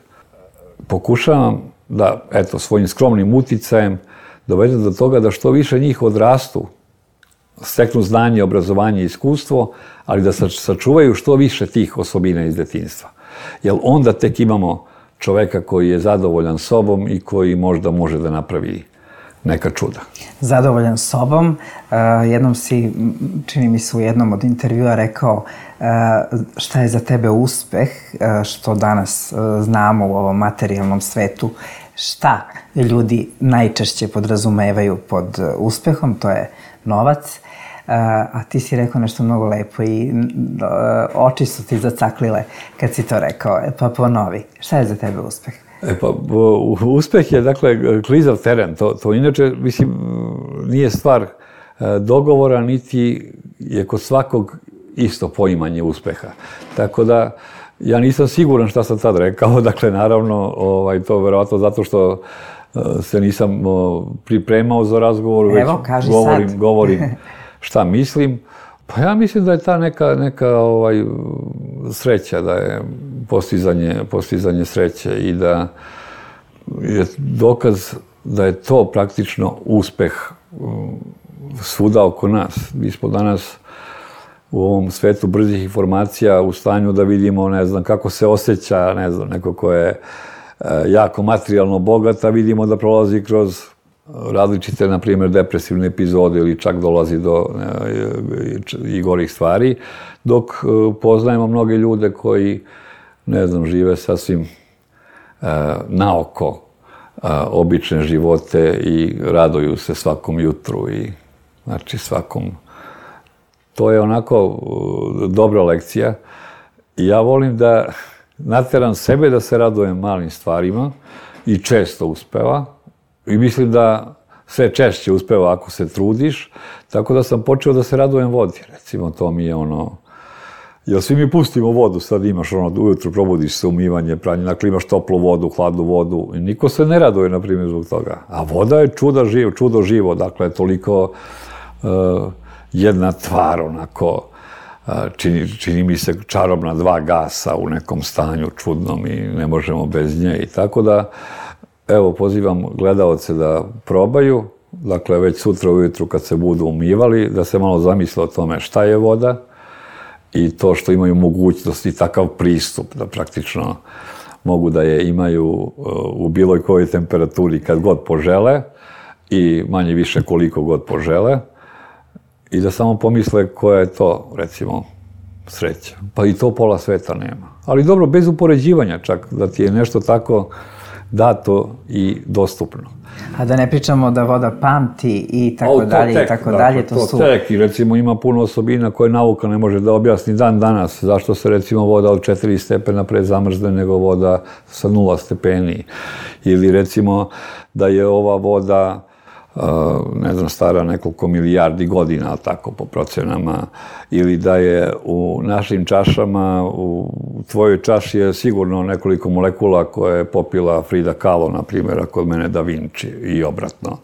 pokušavam da, eto, svojim skromnim uticajem dovedem do toga da što više njih odrastu, steknu znanje, obrazovanje i iskustvo, ali da sačuvaju što više tih osobina iz detinjstva. Jer onda tek imamo čoveka koji je zadovoljan sobom i koji možda može da napravi neka čuda. Zadovoljan sobom. Jednom si, čini mi se u jednom od intervjua rekao šta je za tebe uspeh, što danas znamo u ovom materijalnom svetu, šta ljudi najčešće podrazumevaju pod uspehom, to je novac. A ti si rekao nešto mnogo lepo i oči su ti zacaklile kad si to rekao. E pa ponovi, šta je za tebe uspeh? E pa, uspeh je, dakle, klizav teren. To, to inače, mislim, nije stvar dogovora, niti je kod svakog isto poimanje uspeha. Tako da, ja nisam siguran šta sam tad rekao. Dakle, naravno, ovaj, to verovatno zato što se nisam pripremao za razgovor, već Evo, kaži govorim, sad. govorim šta mislim. Pa ja mislim da je ta neka, neka ovaj, sreća, da je postizanje, postizanje sreće i da je dokaz da je to praktično uspeh svuda oko nas. Mi smo danas u ovom svetu brzih informacija u stanju da vidimo, ne znam, kako se osjeća, ne znam, neko ko je jako materijalno bogat, a vidimo da prolazi kroz različite, na primjer, depresivne epizode ili čak dolazi do i gorih stvari, dok poznajemo mnoge ljude koji, ne znam, žive sasvim naoko obične živote i raduju se svakom jutru i, znači, svakom. To je onako dobra lekcija i ja volim da nateram sebe da se radujem malim stvarima i često uspeva. I mislim da sve češće uspeva ako se trudiš, tako da sam počeo da se radujem vodi. Recimo, to mi je ono... Jer svi mi pustimo vodu, sad imaš ono, ujutru probudiš se, umivanje, pranje, dakle imaš toplu vodu, hladnu vodu i niko se ne raduje, na primjer, zbog toga. A voda je čudo živo, čudo živo, dakle, toliko uh, jedna tvar, onako, uh, čini, čini mi se čarobna dva gasa u nekom stanju čudnom i ne možemo bez nje i tako da. Evo, pozivam gledaoce da probaju, dakle, već sutra ujutru kad se budu umivali, da se malo zamisle o tome šta je voda i to što imaju mogućnost i takav pristup, da praktično mogu da je imaju u bilo kojoj temperaturi kad god požele i manje više koliko god požele i da samo pomisle koja je to, recimo, sreća. Pa i to pola sveta nema. Ali dobro, bez upoređivanja čak, da ti je nešto tako dato i dostupno. A da ne pričamo da voda pamti i tako dalje i tako dalje, to su... To tek, i recimo ima puno osobina koje nauka ne može da objasni dan danas, zašto se recimo voda od četiri stepena pre zamrzne nego voda sa nula stepeni. Ili recimo da je ova voda, ne znam, stara nekoliko milijardi godina, tako po procenama, ili da je u našim čašama, u tvojoj čaši je sigurno nekoliko molekula koje je popila Frida Kahlo, na primjer, a kod mene Da Vinci i obratno.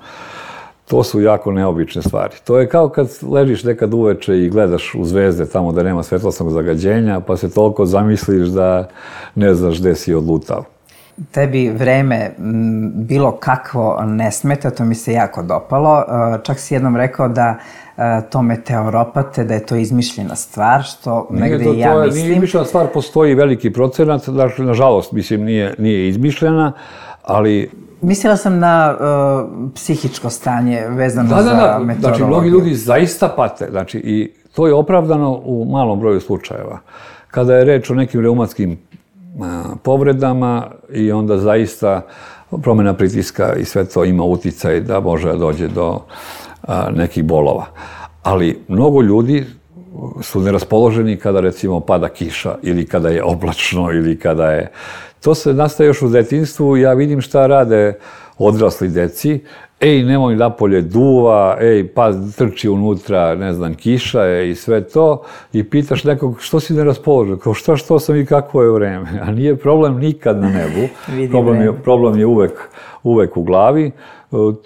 To su jako neobične stvari. To je kao kad ležiš nekad uveče i gledaš u zvezde tamo da nema svetlosnog zagađenja, pa se toliko zamisliš da ne znaš gde si odlutao. Tebi vreme bilo kakvo ne smeta, to mi se jako dopalo. Čak si jednom rekao da to meteoropate, da je to izmišljena stvar, što negde i ja mislim. Nije izmišljena stvar, postoji veliki procenat, dakle, nažalost, mislim, nije, nije izmišljena, ali... Mislila sam na uh, psihičko stanje vezano da, da, da, za meteorologiju. Znači, mnogi ljudi zaista pate, znači, i to je opravdano u malom broju slučajeva. Kada je reč o nekim reumatskim povredama i onda zaista promjena pritiska i sve to ima uticaj da može da dođe do a, nekih bolova. Ali mnogo ljudi su neraspoloženi kada recimo pada kiša ili kada je oblačno ili kada je... To se nastaje još u detinjstvu, ja vidim šta rade odrasli deci. Ej, nemoj napolje duva, ej, pa trči unutra, ne znam, kiša je i sve to. I pitaš nekog, što si neraspoložen? Kao, šta, što sam i kakvo je vreme? A nije problem nikad na nebu. Problem je, problem je uvek, uvek u glavi.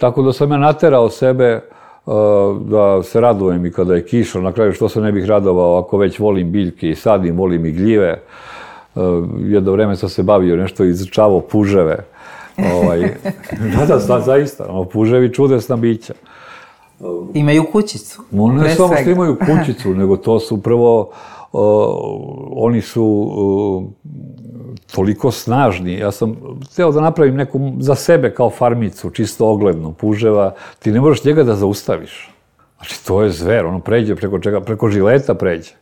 Tako da sam ja naterao sebe da se radujem i kada je kiša. Na kraju, što se ne bih radovao ako već volim biljke i sadim, volim i gljive. Jedno vreme sam se bavio nešto i izučavao puževe. Ovaj, da, da, da, zaista, ono, puževi čudesna bića. Imaju kućicu. Ne samo što imaju kućicu, nego to su prvo, uh, oni su uh, toliko snažni. Ja sam hteo da napravim neku za sebe kao farmicu, čisto ogledno, puževa. Ti ne možeš njega da zaustaviš. Znači, to je zver, ono pređe preko čega, preko žileta pređe.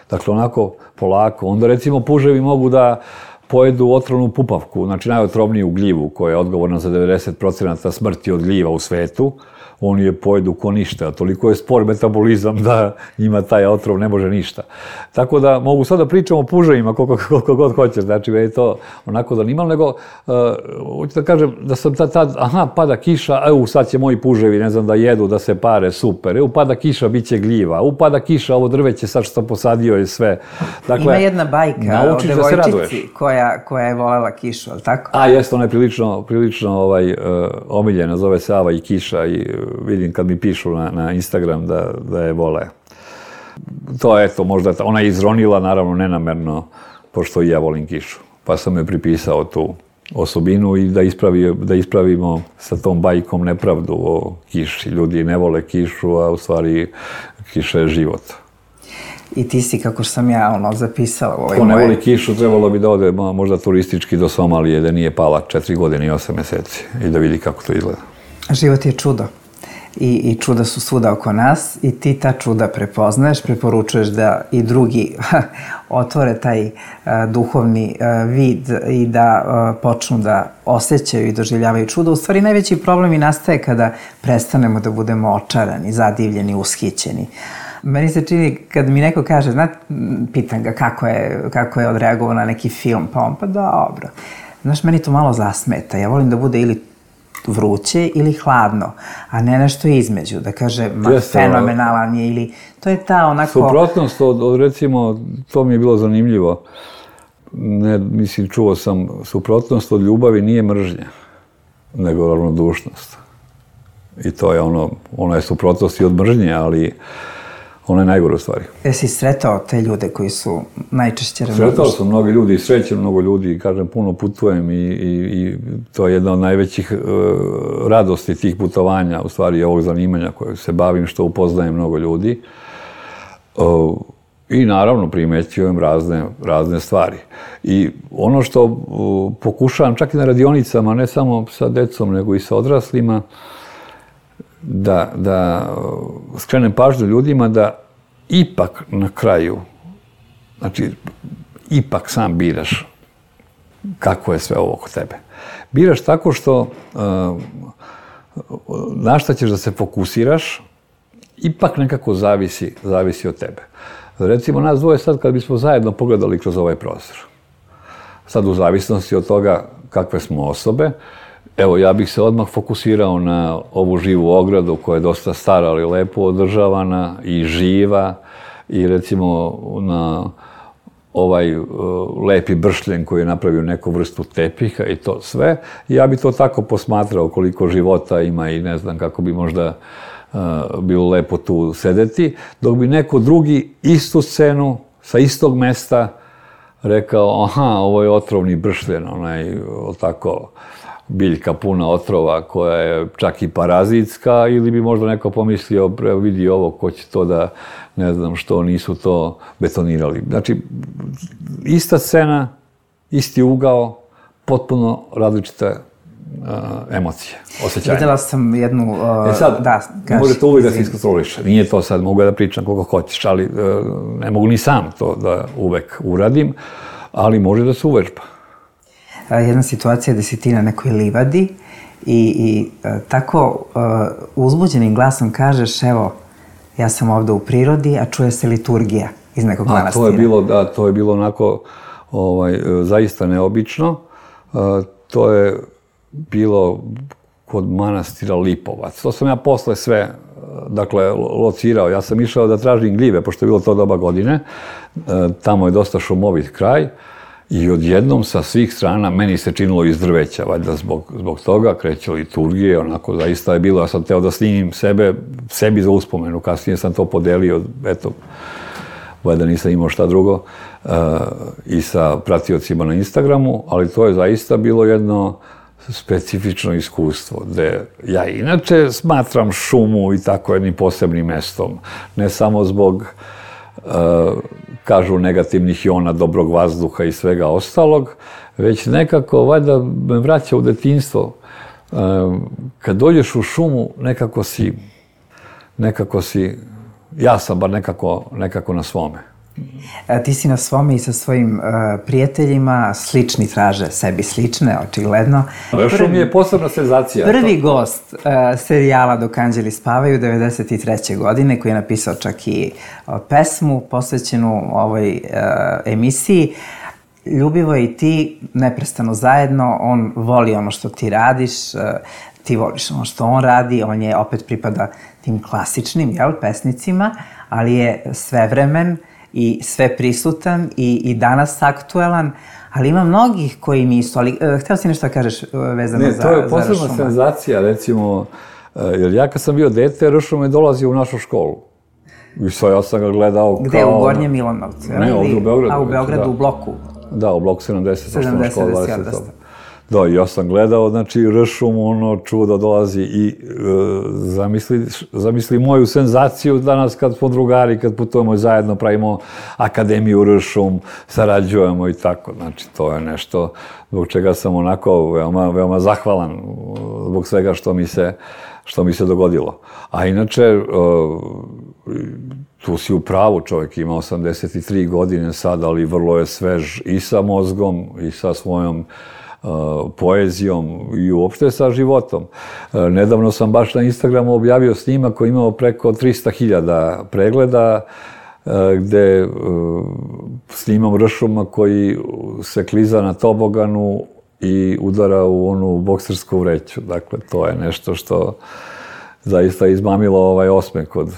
Dakle, onako polako. Onda, recimo, puževi mogu da pojedu otrovnu pupavku, znači najotrovniju gljivu koja je odgovorna za devedeset procenata smrti od gljiva u svetu. Oni je pojedu ko ništa, a toliko je spor metabolizam da njima taj otrov ne može ništa. Tako da mogu sad da pričam o puževima koliko, koliko god hoćeš, znači je to onako zanimalo, nego uh, hoću da kažem da sam tad, tad, aha, pada kiša, evo sad će moji puževi, ne znam, da jedu, da se pare, super, evo pada kiša, bit će gljiva, u pada kiša, ovo drveće sad što sam posadio je sve. Dakle, ima jedna bajka o devojčici koja, koja je volela kišu, ali tako? A, jeste, ona je prilično, prilično ovaj, uh, omiljena, zove se Ava i kiša i vidim kad mi pišu na, na Instagram da, da je vole. To je, eto, možda, ona je izronila, naravno, nenamerno, pošto i ja volim kišu. Pa sam je pripisao tu osobinu i da, ispravi, da ispravimo sa tom bajkom nepravdu o kiši. Ljudi ne vole kišu, a u stvari kiša je život. I ti si, kako sam ja ono zapisala u ovoj moje... Ko ne voli kišu, trebalo bi da ode možda turistički do Somalije, da nije pala četiri godine i osam meseci i da vidi kako to izgleda. Život je čudo. I, i čuda su svuda oko nas i ti ta čuda prepoznaješ, preporučuješ da i drugi otvore taj uh, duhovni uh, vid i da uh, počnu da osjećaju i doživljavaju čudo. U stvari, najveći problem i nastaje kada prestanemo da budemo očarani, zadivljeni, ushićeni. Meni se čini, kad mi neko kaže, znate, pitan ga kako je, kako je odreagovao na neki film, pa on, pa dobro. Znaš, meni to malo zasmeta. Ja volim da bude ili vruće ili hladno, a ne nešto između, da kaže, ma, Jeste, fenomenalan je ili... To je ta onako... Suprotnost od, od, recimo, to mi je bilo zanimljivo, ne, mislim, čuo sam, suprotnost od ljubavi nije mržnja, nego ravnodušnost. I to je ono, ona je suprotnost i od mržnje, ali ona je najgore u stvari. Jesi sretao te ljude koji su najčešće ravnodušni? Sretao sam mnogo ljudi i srećem mnogo ljudi, kažem, puno putujem i, i, i to je jedna od najvećih uh, radosti tih putovanja, u stvari ovog zanimanja kojeg se bavim, što upoznajem mnogo ljudi. Uh, I naravno primećujem razne, razne stvari. I ono što uh, pokušavam čak i na radionicama, ne samo sa decom, nego i sa odraslima, da, da skrenem pažnju ljudima da ipak na kraju znači, ipak sam biraš kako je sve ovo oko tebe. Biraš tako što na šta ćeš da se fokusiraš, ipak nekako zavisi, zavisi od tebe. Recimo, nas dvoje sad, kad bismo zajedno pogledali kroz ovaj prozor, sad u zavisnosti od toga kakve smo osobe, evo, ja bih se odmah fokusirao na ovu živu ogradu koja je dosta stara, ali lepo održavana i živa, i recimo na ovaj uh, lepi bršljen koji je napravio neku vrstu tepiha i to sve. I ja bi to tako posmatrao koliko života ima i ne znam kako bi možda uh, bilo lepo tu sedeti, dok bi neko drugi istu scenu sa istog mesta rekao, aha, ovo je otrovni bršljen, onaj, tako, biljka puna otrova koja je čak i parazitska, ili bi možda neko pomislio, vidi ovo, ko će to da, ne znam što, nisu to betonirali. Znači, ista scena, isti ugao, potpuno različite uh, emocije, osjećanja. Videla sam jednu... Uh, e sad, da, kaži, možete uvijek da se iskontroliše. Nije to sad, mogu da pričam koliko hoćeš, ali uh, ne mogu ni sam to da uvek uradim, ali može da se uvežba. Jedna situacija gde si ti na nekoj livadi i, i tako uh, uzbuđenim glasom kažeš, evo, ja sam ovde u prirodi, a čuje se liturgija iz nekog a, manastira. To je bilo, da, to je bilo onako ovaj, zaista neobično. Uh, to je bilo kod manastira Lipovac. To sam ja posle sve, dakle, locirao. Ja sam išao da tražim gljive, pošto je bilo to doba godine. Uh, tamo je dosta šumovit kraj. I odjednom sa svih strana meni se činilo iz drveća, valjda zbog, zbog toga, kreće liturgije, onako zaista je bilo, ja sam teo da snimim sebe, sebi za uspomenu, kasnije sam to podelio, eto, valjda nisam imao šta drugo, uh, i sa pratiocima na Instagramu, ali to je zaista bilo jedno specifično iskustvo, gde ja inače smatram šumu i tako jednim posebnim mestom, ne samo zbog uh, kažu negativnih iona, dobrog vazduha i svega ostalog, već nekako, valjda, me vraća u detinjstvo. Kad dođeš u šumu, nekako si, nekako si, ja sam bar nekako, nekako na svome. Ti si na svome i sa svojim uh, prijateljima, slični traže sebi slične, očigledno. Šum je posebna senzacija. Prvi gost uh, serijala Dok anđeli spavaju devedeset treće godine, koji je napisao čak i uh, pesmu posvećenu ovoj uh, emisiji. Ljubivoje i ti neprestano zajedno, on voli ono što ti radiš, uh, ti voliš ono što on radi, on je opet pripada tim klasičnim, jel, pesnicima, ali je svevremen i sve prisutan i, i danas aktuelan, ali ima mnogih koji nisu, ali uh, htio si nešto da kažeš uh, vezano ne, za, za Ne, to je posebna Ršuma. senzacija, recimo, uh, jer ja kad sam bio dete, Ršum je dolazio u našu školu. I sve, ja sam ga gledao kao... Gde, u Gornjem Milanovcu? Ne, ovdje u Beogradu. A, u Beogradu, da. U bloku? Da, u bloku sedamdeset, sedamdeset, škola dvadeset. Da, ja sam gledao, znači, Ršum, ono, čudo dolazi i e, zamisli, zamisli moju senzaciju danas kad smo drugari, kad putujemo zajedno, pravimo akademiju Ršum, sarađujemo i tako. Znači, to je nešto zbog čega sam onako veoma, veoma zahvalan zbog svega što mi se, što mi se dogodilo. A inače, e, tu si u pravu, čovjek ima osamdeset tri godine sad, ali vrlo je svež i sa mozgom i sa svojom Uh, poezijom i uopšte sa životom. Uh, nedavno sam baš na Instagramu objavio snimak koji imao preko trista hiljada pregleda, uh, gde uh, snimam Ršuma koji se kliza na toboganu i udara u onu boksersku vreću. Dakle, to je nešto što zaista izmamilo ovaj osmeh kod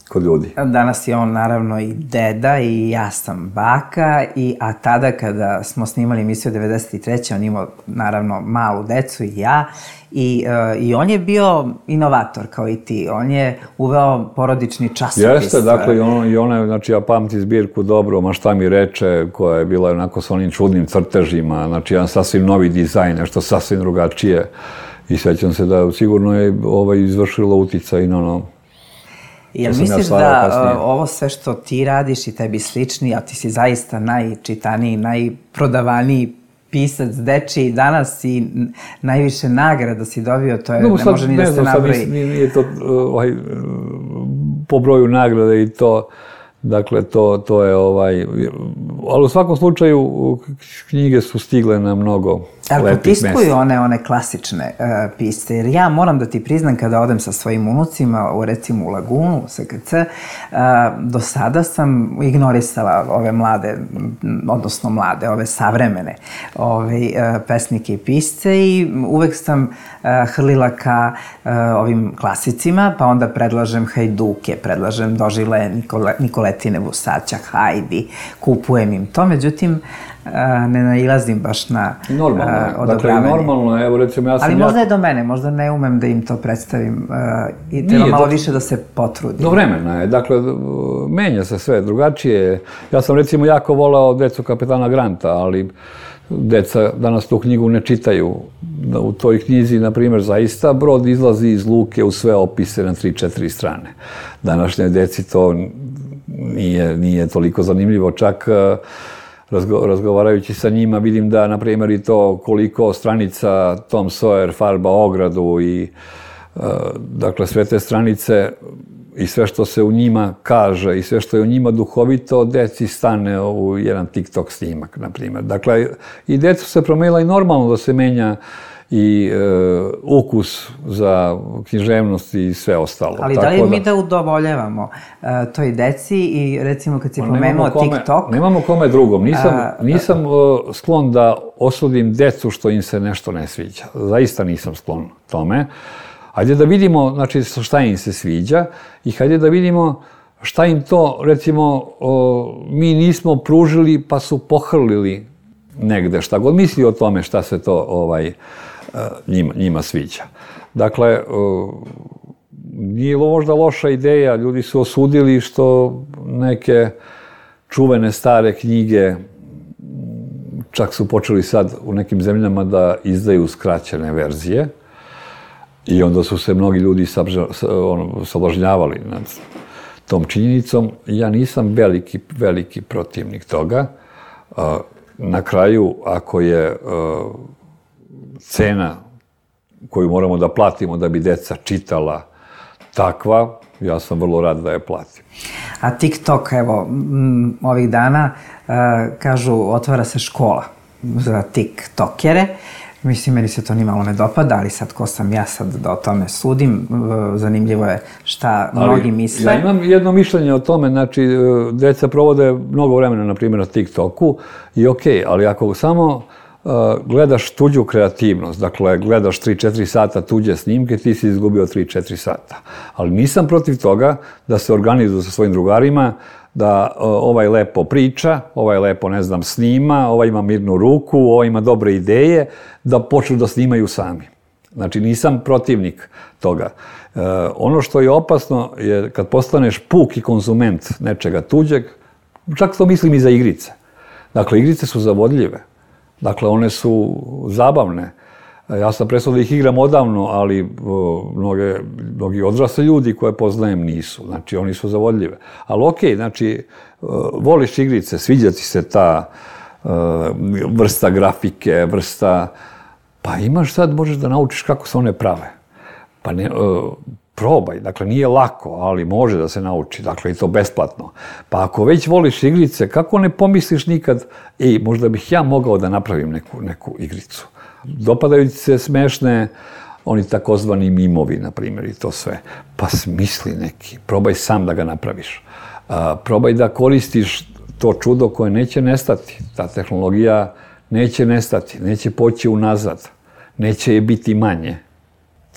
kod ljudi. Danas je on naravno i deda i ja sam baka, i, a tada kada smo snimali emisiju devedeset treće on imao naravno malu decu i ja, i, uh, i on je bio inovator kao i ti. On je uveo porodični časopis. Jeste, dakle, i ono, i ona, znači ja pamtim zbirku dobro, ma šta mi reče, koja je bila onako sa onim čudnim crtežima, znači jedan sasvim novi dizajn, nešto sasvim drugačije. I sećam se da sigurno je ovaj, izvršilo uticaj na ono. Jel misliš da uh, ovo sve što ti radiš i tebi slični, a ti si zaista najčitaniji, najprodavaniji pisac dečiji danas i najviše nagrada si dobio, to je, no, ne može ni da se nabroji. Nije to ovaj, po broju nagrade i to, Dakle, to, to je ovaj... Ali u svakom slučaju knjige su stigle na mnogo ali lepih mesta. Ali potiskuju one, one klasične uh, pisce, jer ja moram da ti priznam kada odem sa svojim unucima, u, recimo u Lagunu, u S K C, uh, do sada sam ignorisala ove mlade, odnosno mlade, ove savremene ove, uh, pesnike i pisce i uvek sam uh, hrlila ka uh, ovim klasicima, pa onda predlažem Hajduke, predlažem Dožile Nikole, Nikoletine Vusaća, Hajdi, kupujem im to, međutim, ne nailazim baš na normalno, uh, odobravanje. Dakle, normalno, evo recimo ja sam... Ali možda ja... je do mene, možda ne umem da im to predstavim uh, i treba malo do... više da se potrudim. Do vremena je, dakle, menja se sve, drugačije. Ja sam recimo jako volao Decu kapetana Granta, ali deca danas tu knjigu ne čitaju. U toj knjizi, na primjer, zaista brod izlazi iz luke u sve opise na tri četiri strane. Današnje deci to nije, nije toliko zanimljivo, čak Razgo, razgovarajući sa njima vidim da, na primjer, i to koliko stranica Tom Sawyer farba ogradu i uh, dakle sve te stranice i sve što se u njima kaže i sve što je u njima duhovito, deci stane u jedan TikTok snimak, na primjer. Dakle, i decu se promenila i normalno da se menja i e, ukus za književnost i sve ostalo. Ali da li da... mi da udovoljavamo uh, toj deci i recimo kad si pa pomenuo TikTok... Nemamo kome drugom. Nisam, uh, nisam uh, sklon da osudim decu što im se nešto ne sviđa. Zaista nisam sklon tome. Hajde da vidimo, znači, šta im se sviđa i hajde da vidimo šta im to, recimo, uh, mi nismo pružili pa su pohrlili negde. Šta god misli o tome šta se to ovaj, njima, njima sviđa. Dakle, nije možda loša ideja, ljudi su osudili što neke čuvene stare knjige, čak su počeli sad u nekim zemljama da izdaju skraćene verzije i onda su se mnogi ljudi sablažnjavali nad tom činjenicom. Ja nisam veliki, veliki protivnik toga. Na kraju, ako je cena koju moramo da platimo da bi deca čitala takva, ja sam vrlo rad da je platim. A TikTok, evo, m, ovih dana, uh, kažu, otvara se škola za TikTokere. Mislim, meni se to ni malo ne dopada, ali sad ko sam ja sad da o tome sudim, uh, zanimljivo je šta mnogi ali, misle. Ja imam jedno mišljenje o tome, znači, deca provode mnogo vremena, na primjer, na TikToku i okej, okay, ali ako samo gledaš tuđu kreativnost, dakle, gledaš tri četiri sata tuđe snimke, ti si izgubio tri četiri sata. Ali nisam protiv toga da se organizuju sa svojim drugarima, da ovaj lepo priča, ovaj lepo, ne znam, snima, ovaj ima mirnu ruku, ovaj ima dobre ideje, da počnu da snimaju sami. Znači, nisam protivnik toga. E, ono što je opasno je kad postaneš puki konzument nečega tuđeg, čak to mislim i za igrice. Dakle, igrice su zavodljive. Dakle, one su zabavne. Ja sam prestao da ih igram odavno, ali mnoge, mnogi odrasli ljudi koje poznajem nisu. Znači, oni su zavodljive. Ali okej, znači, voliš igrice, sviđa ti se ta uh, vrsta grafike, vrsta... Pa imaš sad, možeš da naučiš kako se one prave. Pa ne... Uh, probaj, dakle, nije lako, ali može da se nauči, dakle, i to besplatno. Pa ako već voliš igrice, kako ne pomisliš nikad, ej, možda bih ja mogao da napravim neku, neku igricu. Dopadaju ti se smešne, oni takozvani mimovi, na primjer, i to sve. Pa smisli neki, probaj sam da ga napraviš. A, probaj da koristiš to čudo koje neće nestati. Ta tehnologija neće nestati, neće poći unazad, neće je biti manje.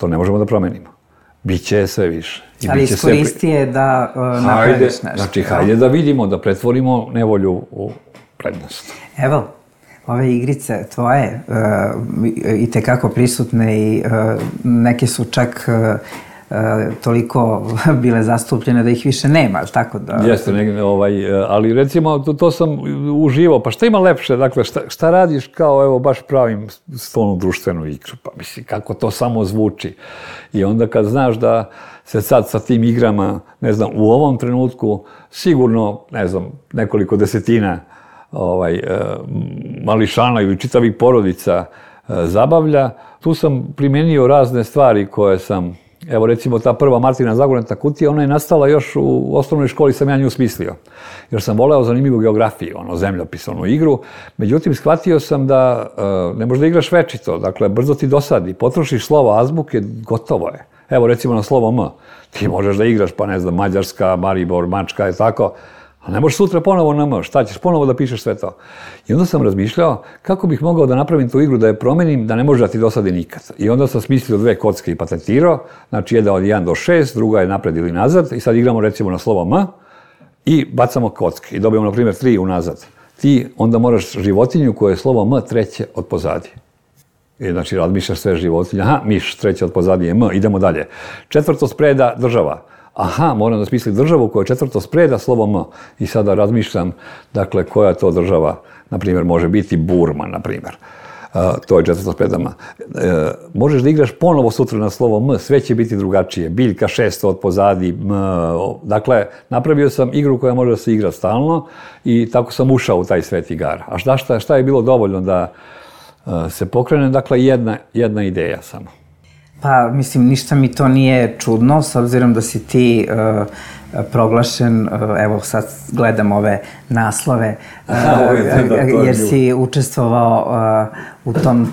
To ne možemo da promenimo. Biće sve više. I ali iskoristi je da uh, napraviš nešto. Znači, hajde da vidimo, da pretvorimo nevolju u prednost. Evo, ove igrice tvoje uh, i tekako prisutne i uh, neke su čak uh, uh, toliko bile zastupljene da ih više nema, ali tako da... Jeste, ne, ovaj, ali recimo to, to sam uživao. Pa šta ima lepše? Dakle, šta, šta radiš kao, evo, baš pravim stolnu društvenu igru? Pa misli, kako to samo zvuči. I onda kad znaš da se sad sa tim igrama, ne znam, u ovom trenutku sigurno, ne znam, nekoliko desetina ovaj, mališana ili čitavih porodica zabavlja, tu sam primenio razne stvari koje sam Evo recimo ta prva Martina Zagornata kutija, ona je nastala još u osnovnoj školi, sam ja nju smislio. Jer sam voleo zanimljivu geografiju, ono, zemljopis, onu igru. Međutim, shvatio sam da uh, ne možeš da igraš večito, dakle, brzo ti dosadi. Potrošiš slovo azbuke, gotovo je. Evo recimo na slovo M. Ti možeš da igraš, pa ne znam, Mađarska, Maribor, Mačka, je tako. Ali ne možeš sutra ponovo na M, šta ćeš, ponovo da pišeš sve to. I onda sam razmišljao kako bih mogao da napravim tu igru, da je promenim, da ne može da ti dosadi nikad. I onda sam smislio dve kocke i patentirao, znači jedna od jedan do šest, druga je napred ili nazad, i sad igramo recimo na slovo M i bacamo kocke i dobijemo na primjer tri unazad. Ti onda moraš životinju koje je slovo M treće od pozadi. I znači razmišljaš sve životinje, aha, miš, treće od pozadi je M, idemo dalje. Četvrto spreda država. Aha, moram da smislim državu koja je četvrto spreda slovo M. I sada razmišljam, dakle, koja to država, na primjer, može biti Burma, na primjer. Uh, to je četvrto spreda M. Uh, možeš da igraš ponovo sutra na slovo M, sve će biti drugačije. Biljka šesto od pozadi, M. Dakle, napravio sam igru koja može da se igra stalno i tako sam ušao u taj svet igara. A šta, šta, šta je bilo dovoljno da uh, se pokrene? Dakle, jedna, jedna ideja samo. Pa, mislim, ništa mi to nije čudno, s obzirom da si ti uh, proglašen, uh, evo sad gledam ove naslove, uh, jer si učestvovao uh, u tom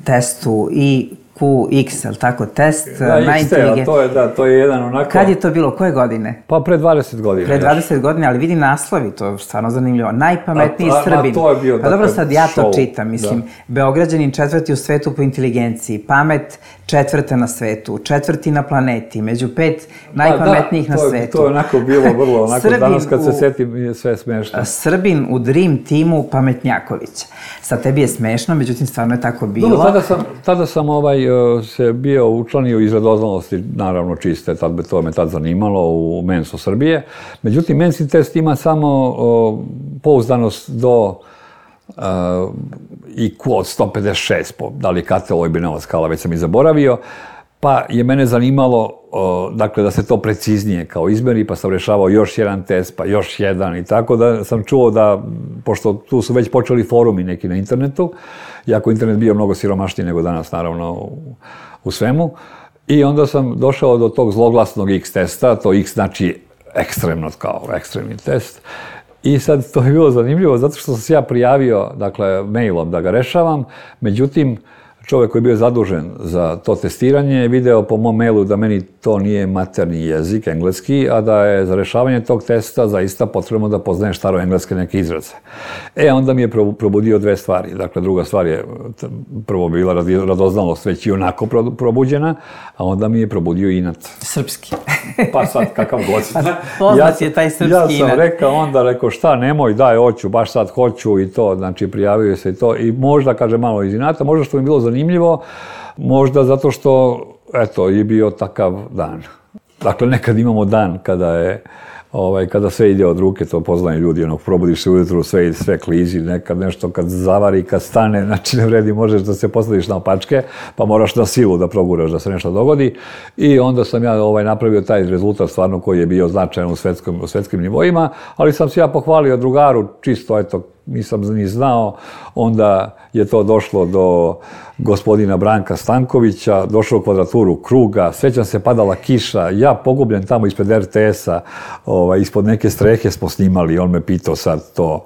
testu i Q X, ali tako, test da, na inteligentnost. To je, da, to je jedan onako... Kad je to bilo? Koje godine? Pa pre dvadeset godina. Pre dvadeset godina, ali vidi naslovi, to je stvarno zanimljivo. Najpametniji a, a, Srbin. A to je bio, pa dobro, sad ja to show, čitam, mislim. Da. Beograđanin četvrti u svetu po inteligenciji, pamet četvrta na svetu, četvrti na planeti, među pet najpametnijih da, na to, svetu. To je onako bilo vrlo, onako danas kad u, se setim je sve smešno. Srbin u Dream timu Pametnjakovića. Sad tebi je smešno, međutim stvarno je tako bilo. Dobro, tada sam, tada sam ovaj, se bio učlanio iz radoznalosti, naravno čiste, tad me to me tad zanimalo u Mensu Srbije. Međutim, Mensi test ima samo o, pouzdanost do Uh, I Q od sto pedeset šest, po, da li je Katel ili Binova skala, već sam i zaboravio, pa je mene zanimalo uh, dakle, da se to preciznije kao izmeri, pa sam rešavao još jedan test, pa još jedan i tako da sam čuo da, pošto tu su već počeli forumi neki na internetu, iako internet bio mnogo siromašniji nego danas, naravno, u, u svemu, i onda sam došao do tog zloglasnog X testa, to X znači ekstremno kao ekstremni test. I sad to je bilo zanimljivo zato što sam se ja prijavio, dakle, mailom da ga rešavam, međutim, čovjek koji je bio zadužen za to testiranje je video po mom mailu da meni to nije materni jezik, engleski, a da je za rešavanje tog testa zaista potrebno da poznajem staroengleske neke izraze. E, onda mi je probudio dve stvari. Dakle, druga stvar je prvo bila radoznalost već i onako probuđena, a onda mi je probudio inat. Srpski. Pa sad, kakav god. Poznat je taj srpski inat. Ja sam rekao onda, rekao šta, nemoj, daj, hoću, baš sad hoću i to, znači prijavio se i to. I možda, kaže, malo iz inata, možda što mi je bilo zanimljivo, možda zato što, eto, je bio takav dan. Dakle, nekad imamo dan kada je, ovaj, kada sve ide od ruke, to poznaju ljudi, ono, probudiš se ujutru, sve ide, sve klizi, nekad nešto kad zavari, kad stane, znači ne vredi, možeš da se posadiš na opačke, pa moraš na silu da proguraš da se nešto dogodi. I onda sam ja ovaj, napravio taj rezultat stvarno koji je bio značajan u svetskom, u svetskim nivoima, ali sam se ja pohvalio drugaru, čisto, eto, nisam ni znao, onda je to došlo do gospodina Branka Stankovića, došlo u kvadraturu kruga, sjećam se padala kiša, ja pogubljen tamo ispred er te esa, ovaj, ispod neke strehe smo snimali, on me pitao sad to,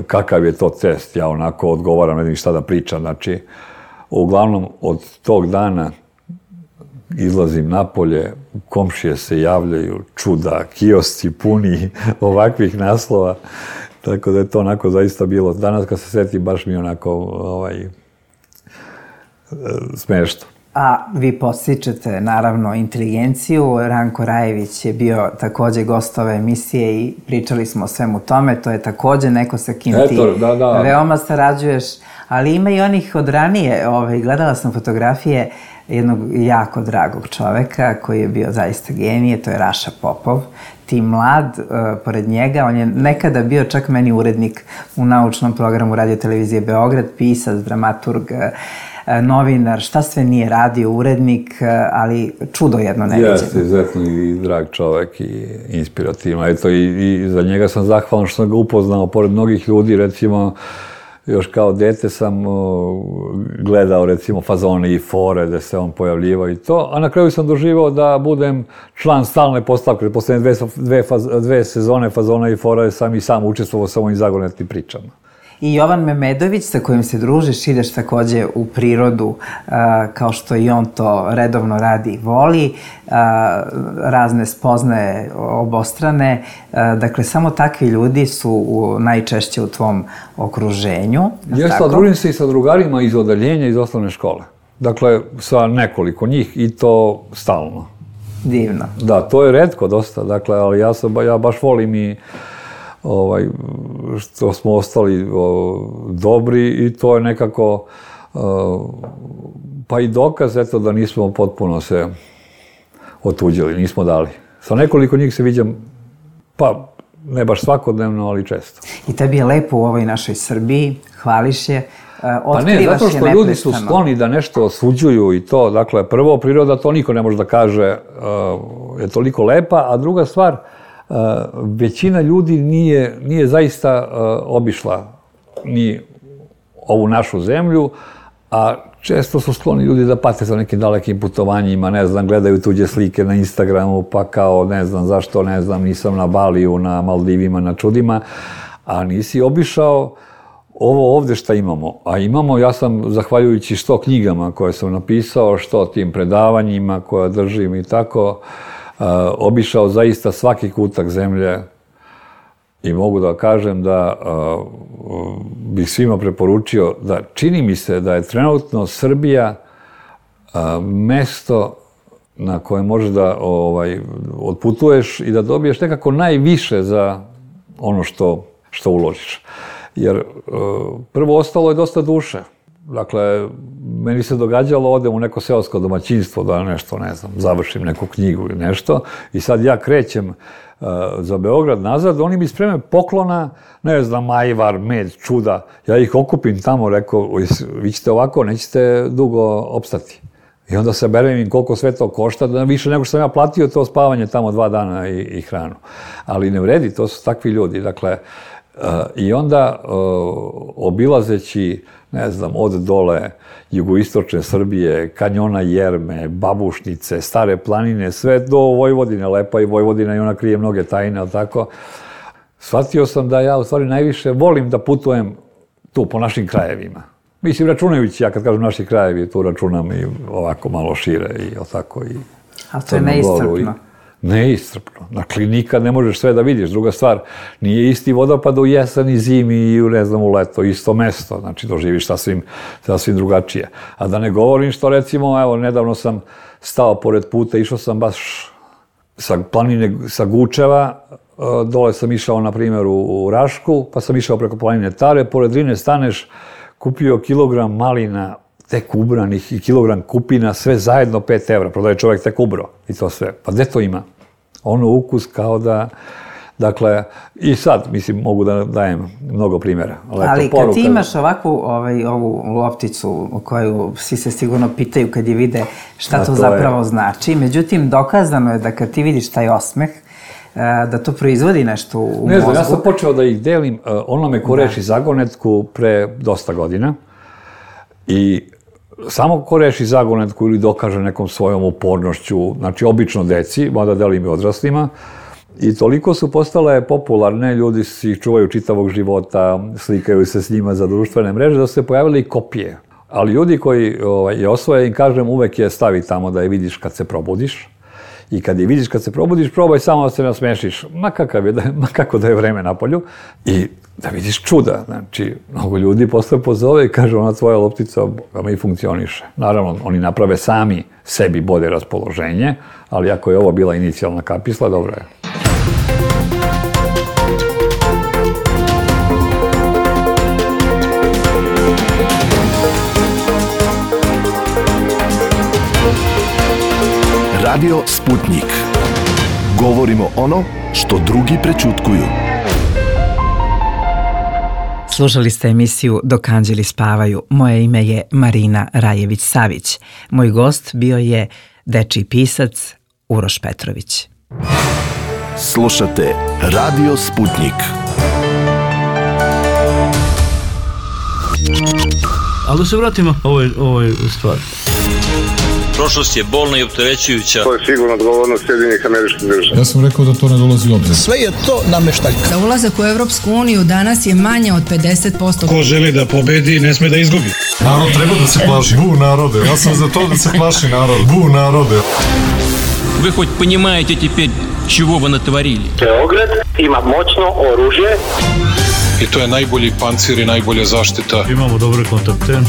kakav je to test, ja onako odgovaram, ne znam šta da pričam, znači, uglavnom od tog dana izlazim napolje, komšije se javljaju, čuda, kiosci puni ovakvih naslova, tako da je to onako zaista bilo. Danas kad se setim, baš mi je onako ovaj, smešno. A vi podstičete, naravno, inteligenciju. Ranko Rajević je bio takođe gost ove emisije i pričali smo o svemu tome. To je takođe neko sa kim ti Eto, da, da. veoma sarađuješ. Ali ima i onih od ranije. Ovaj, gledala sam fotografije jednog jako dragog čoveka koji je bio zaista genije, to je Raša Popov. Ti mlad, uh, pored njega, on je nekada bio čak meni urednik u naučnom programu Radio Televizije Beograd, pisac, dramaturg, uh, novinar, šta sve nije radio, urednik, uh, ali čudo jedno neviđeno. Jeste, izuzetno i drag čovek i inspirativan. Eto, i, i za njega sam zahvalan što sam ga upoznao, pored mnogih ljudi, recimo, još kao dete sam o, gledao recimo fazone i fore da se on pojavljivao i to, a na kraju sam doživao da budem član stalne postavke. Poslednje dve, dve, faz, dve sezone fazona i fora sam i sam učestvovao sa ovim zagonetnim pričama. I Jovan Memedović, sa kojim se družiš, ideš takođe u prirodu, a, kao što i on to redovno radi i voli, a, razne spoznaje obostrane. A, dakle, samo takvi ljudi su u, najčešće u tvom okruženju. Jeste, a družim se i sa drugarima iz odeljenja, iz osnovne škole. Dakle, sa nekoliko njih i to stalno. Divno. Da, to je retko dosta, dakle, ali ja, sam, ja baš volim i ovaj, što smo ostali o, dobri i to je nekako o, pa i dokaz eto da nismo potpuno se otuđili, nismo dali. Sa nekoliko njih se viđam, pa ne baš svakodnevno, ali često. I tebi je lepo u ovoj našoj Srbiji, hvališ je, otkrivaš je neprestano. Pa ne, zato što ljudi su skloni da nešto osuđuju i to, dakle, prvo, priroda, to niko ne može da kaže uh, je toliko lepa, a druga stvar, Uh, većina ljudi nije, nije zaista uh, obišla ni ovu našu zemlju, a često su skloni ljudi da pate za nekim dalekim putovanjima, ne znam, gledaju tuđe slike na Instagramu, pa kao, ne znam zašto, ne znam, nisam na Baliju, na Maldivima, na čudima, a nisi obišao ovo ovde šta imamo. A imamo, ja sam, zahvaljujući što knjigama koje sam napisao, što tim predavanjima koje držim i tako, Uh, obišao zaista svaki kutak zemlje i mogu da kažem da uh, bih svima preporučio da čini mi se da je trenutno Srbija uh, mesto na koje možeš da ovaj, otputuješ i da dobiješ nekako najviše za ono što, što uložiš. Jer uh, prvo ostalo je dosta duše. Dakle, meni se događalo, odem u neko seosko domaćinstvo da nešto, ne znam, završim neku knjigu ili nešto i sad ja krećem uh, za Beograd nazad, oni mi spreme poklona, ne znam, ajvar, med, čuda, ja ih okupim tamo, rekao, vi ćete ovako, nećete dugo opstati. I onda saberem im koliko sve to košta, da više nego što sam ja platio to spavanje tamo dva dana i, i hranu. Ali ne vredi, to su takvi ljudi, dakle, uh, i onda uh, obilazeći, ne znam, od dole jugoistočne Srbije, kanjona Jerme, Babušnice, Stare planine, sve do Vojvodine, lepa i Vojvodina i ona krije mnoge tajne, ali tako. Shvatio sam da ja u stvari najviše volim da putujem tu po našim krajevima. Mislim, računajući, ja kad kažem naši krajevi, tu računam i ovako malo šire i tako i... Ali to je neiscrpno. Neiscrpno. Dakle, nikad ne možeš sve da vidiš. Druga stvar, nije isti vodopad u jesen i zimi i, ne znam, u leto, isto mesto. Znači, doživiš sasvim, sasvim drugačije. A da ne govorim što, recimo, evo, nedavno sam stao pored puta, išao sam baš sa planine, sa Gučeva, dole sam išao, na primjer, u Rašku, pa sam išao preko planine Tare, pored Drine staneš, kupio kilogram malina, tek ubranih i kilogram kupina, sve zajedno pet evra, prodaje čovjek tek ubro i to sve. Pa gde to ima? Ono ukus kao da, dakle, i sad, mislim, mogu da dajem mnogo primjera. Leto, ali kad ti imaš ovakvu, ovaj, ovu lopticu o koju svi se sigurno pitaju kad je vide šta to, to zapravo je znači, međutim, dokazano je da kad ti vidiš taj osmeh, da to proizvodi nešto u mozgu. Ne znam, ja sam počeo da ih delim, onome ko reši zagonetku pre dosta godina i samo ko reši zagonetku ili dokaže nekom svojom upornošću, znači obično deci, mada delim i odraslima, i toliko su postale popularne, ljudi si ih čuvaju čitavog života, slikaju se s njima za društvene mreže, da su se pojavile i kopije. Ali ljudi koji ovaj, je osvoje, im kažem, uvek je stavi tamo da je vidiš kad se probudiš. I kad je vidiš kad se probudiš, probaj samo da se nasmešiš, ma, kakav je, ma kako da je vreme na polju, i da vidiš čuda. Znači, mnogo ljudi posle pozove i kaže, ona tvoja loptica vama i funkcioniše. Naravno, oni naprave sami sebi bolje raspoloženje, ali ako je ovo bila inicijalna kapisla, dobro je. Radio Sputnik. Govorimo ono što drugi prećutkuju. Slušali ste emisiju Dok anđeli spavaju. Moje ime je Marina Rajević-Savić. Moj gost bio je dečiji pisac Uroš Petrović. Slušate Radio Sputnik. Ali da se vratimo ovoj, ovoj stvari. Prošlost je bolna i opterećujuća. To je sigurno odgovornost Sjedinjenih Američkih Država. Ja sam rekao da to ne dolazi u obzir. Sve je to nameštaljka. Za ulazak u Evropsku uniju danas je manje od pedeset posto. Ko želi da pobedi, ne sme da izgubi. Narod treba da se plaši. Bu narode. Ja sam za to da se plaši narod. Bu narode. Вы хоть понимаете теперь, чего вы натворили? Beograd ima moćno oružje. I to je najbolji pancir i najbolja zaštita. Imamo dobre kontakte.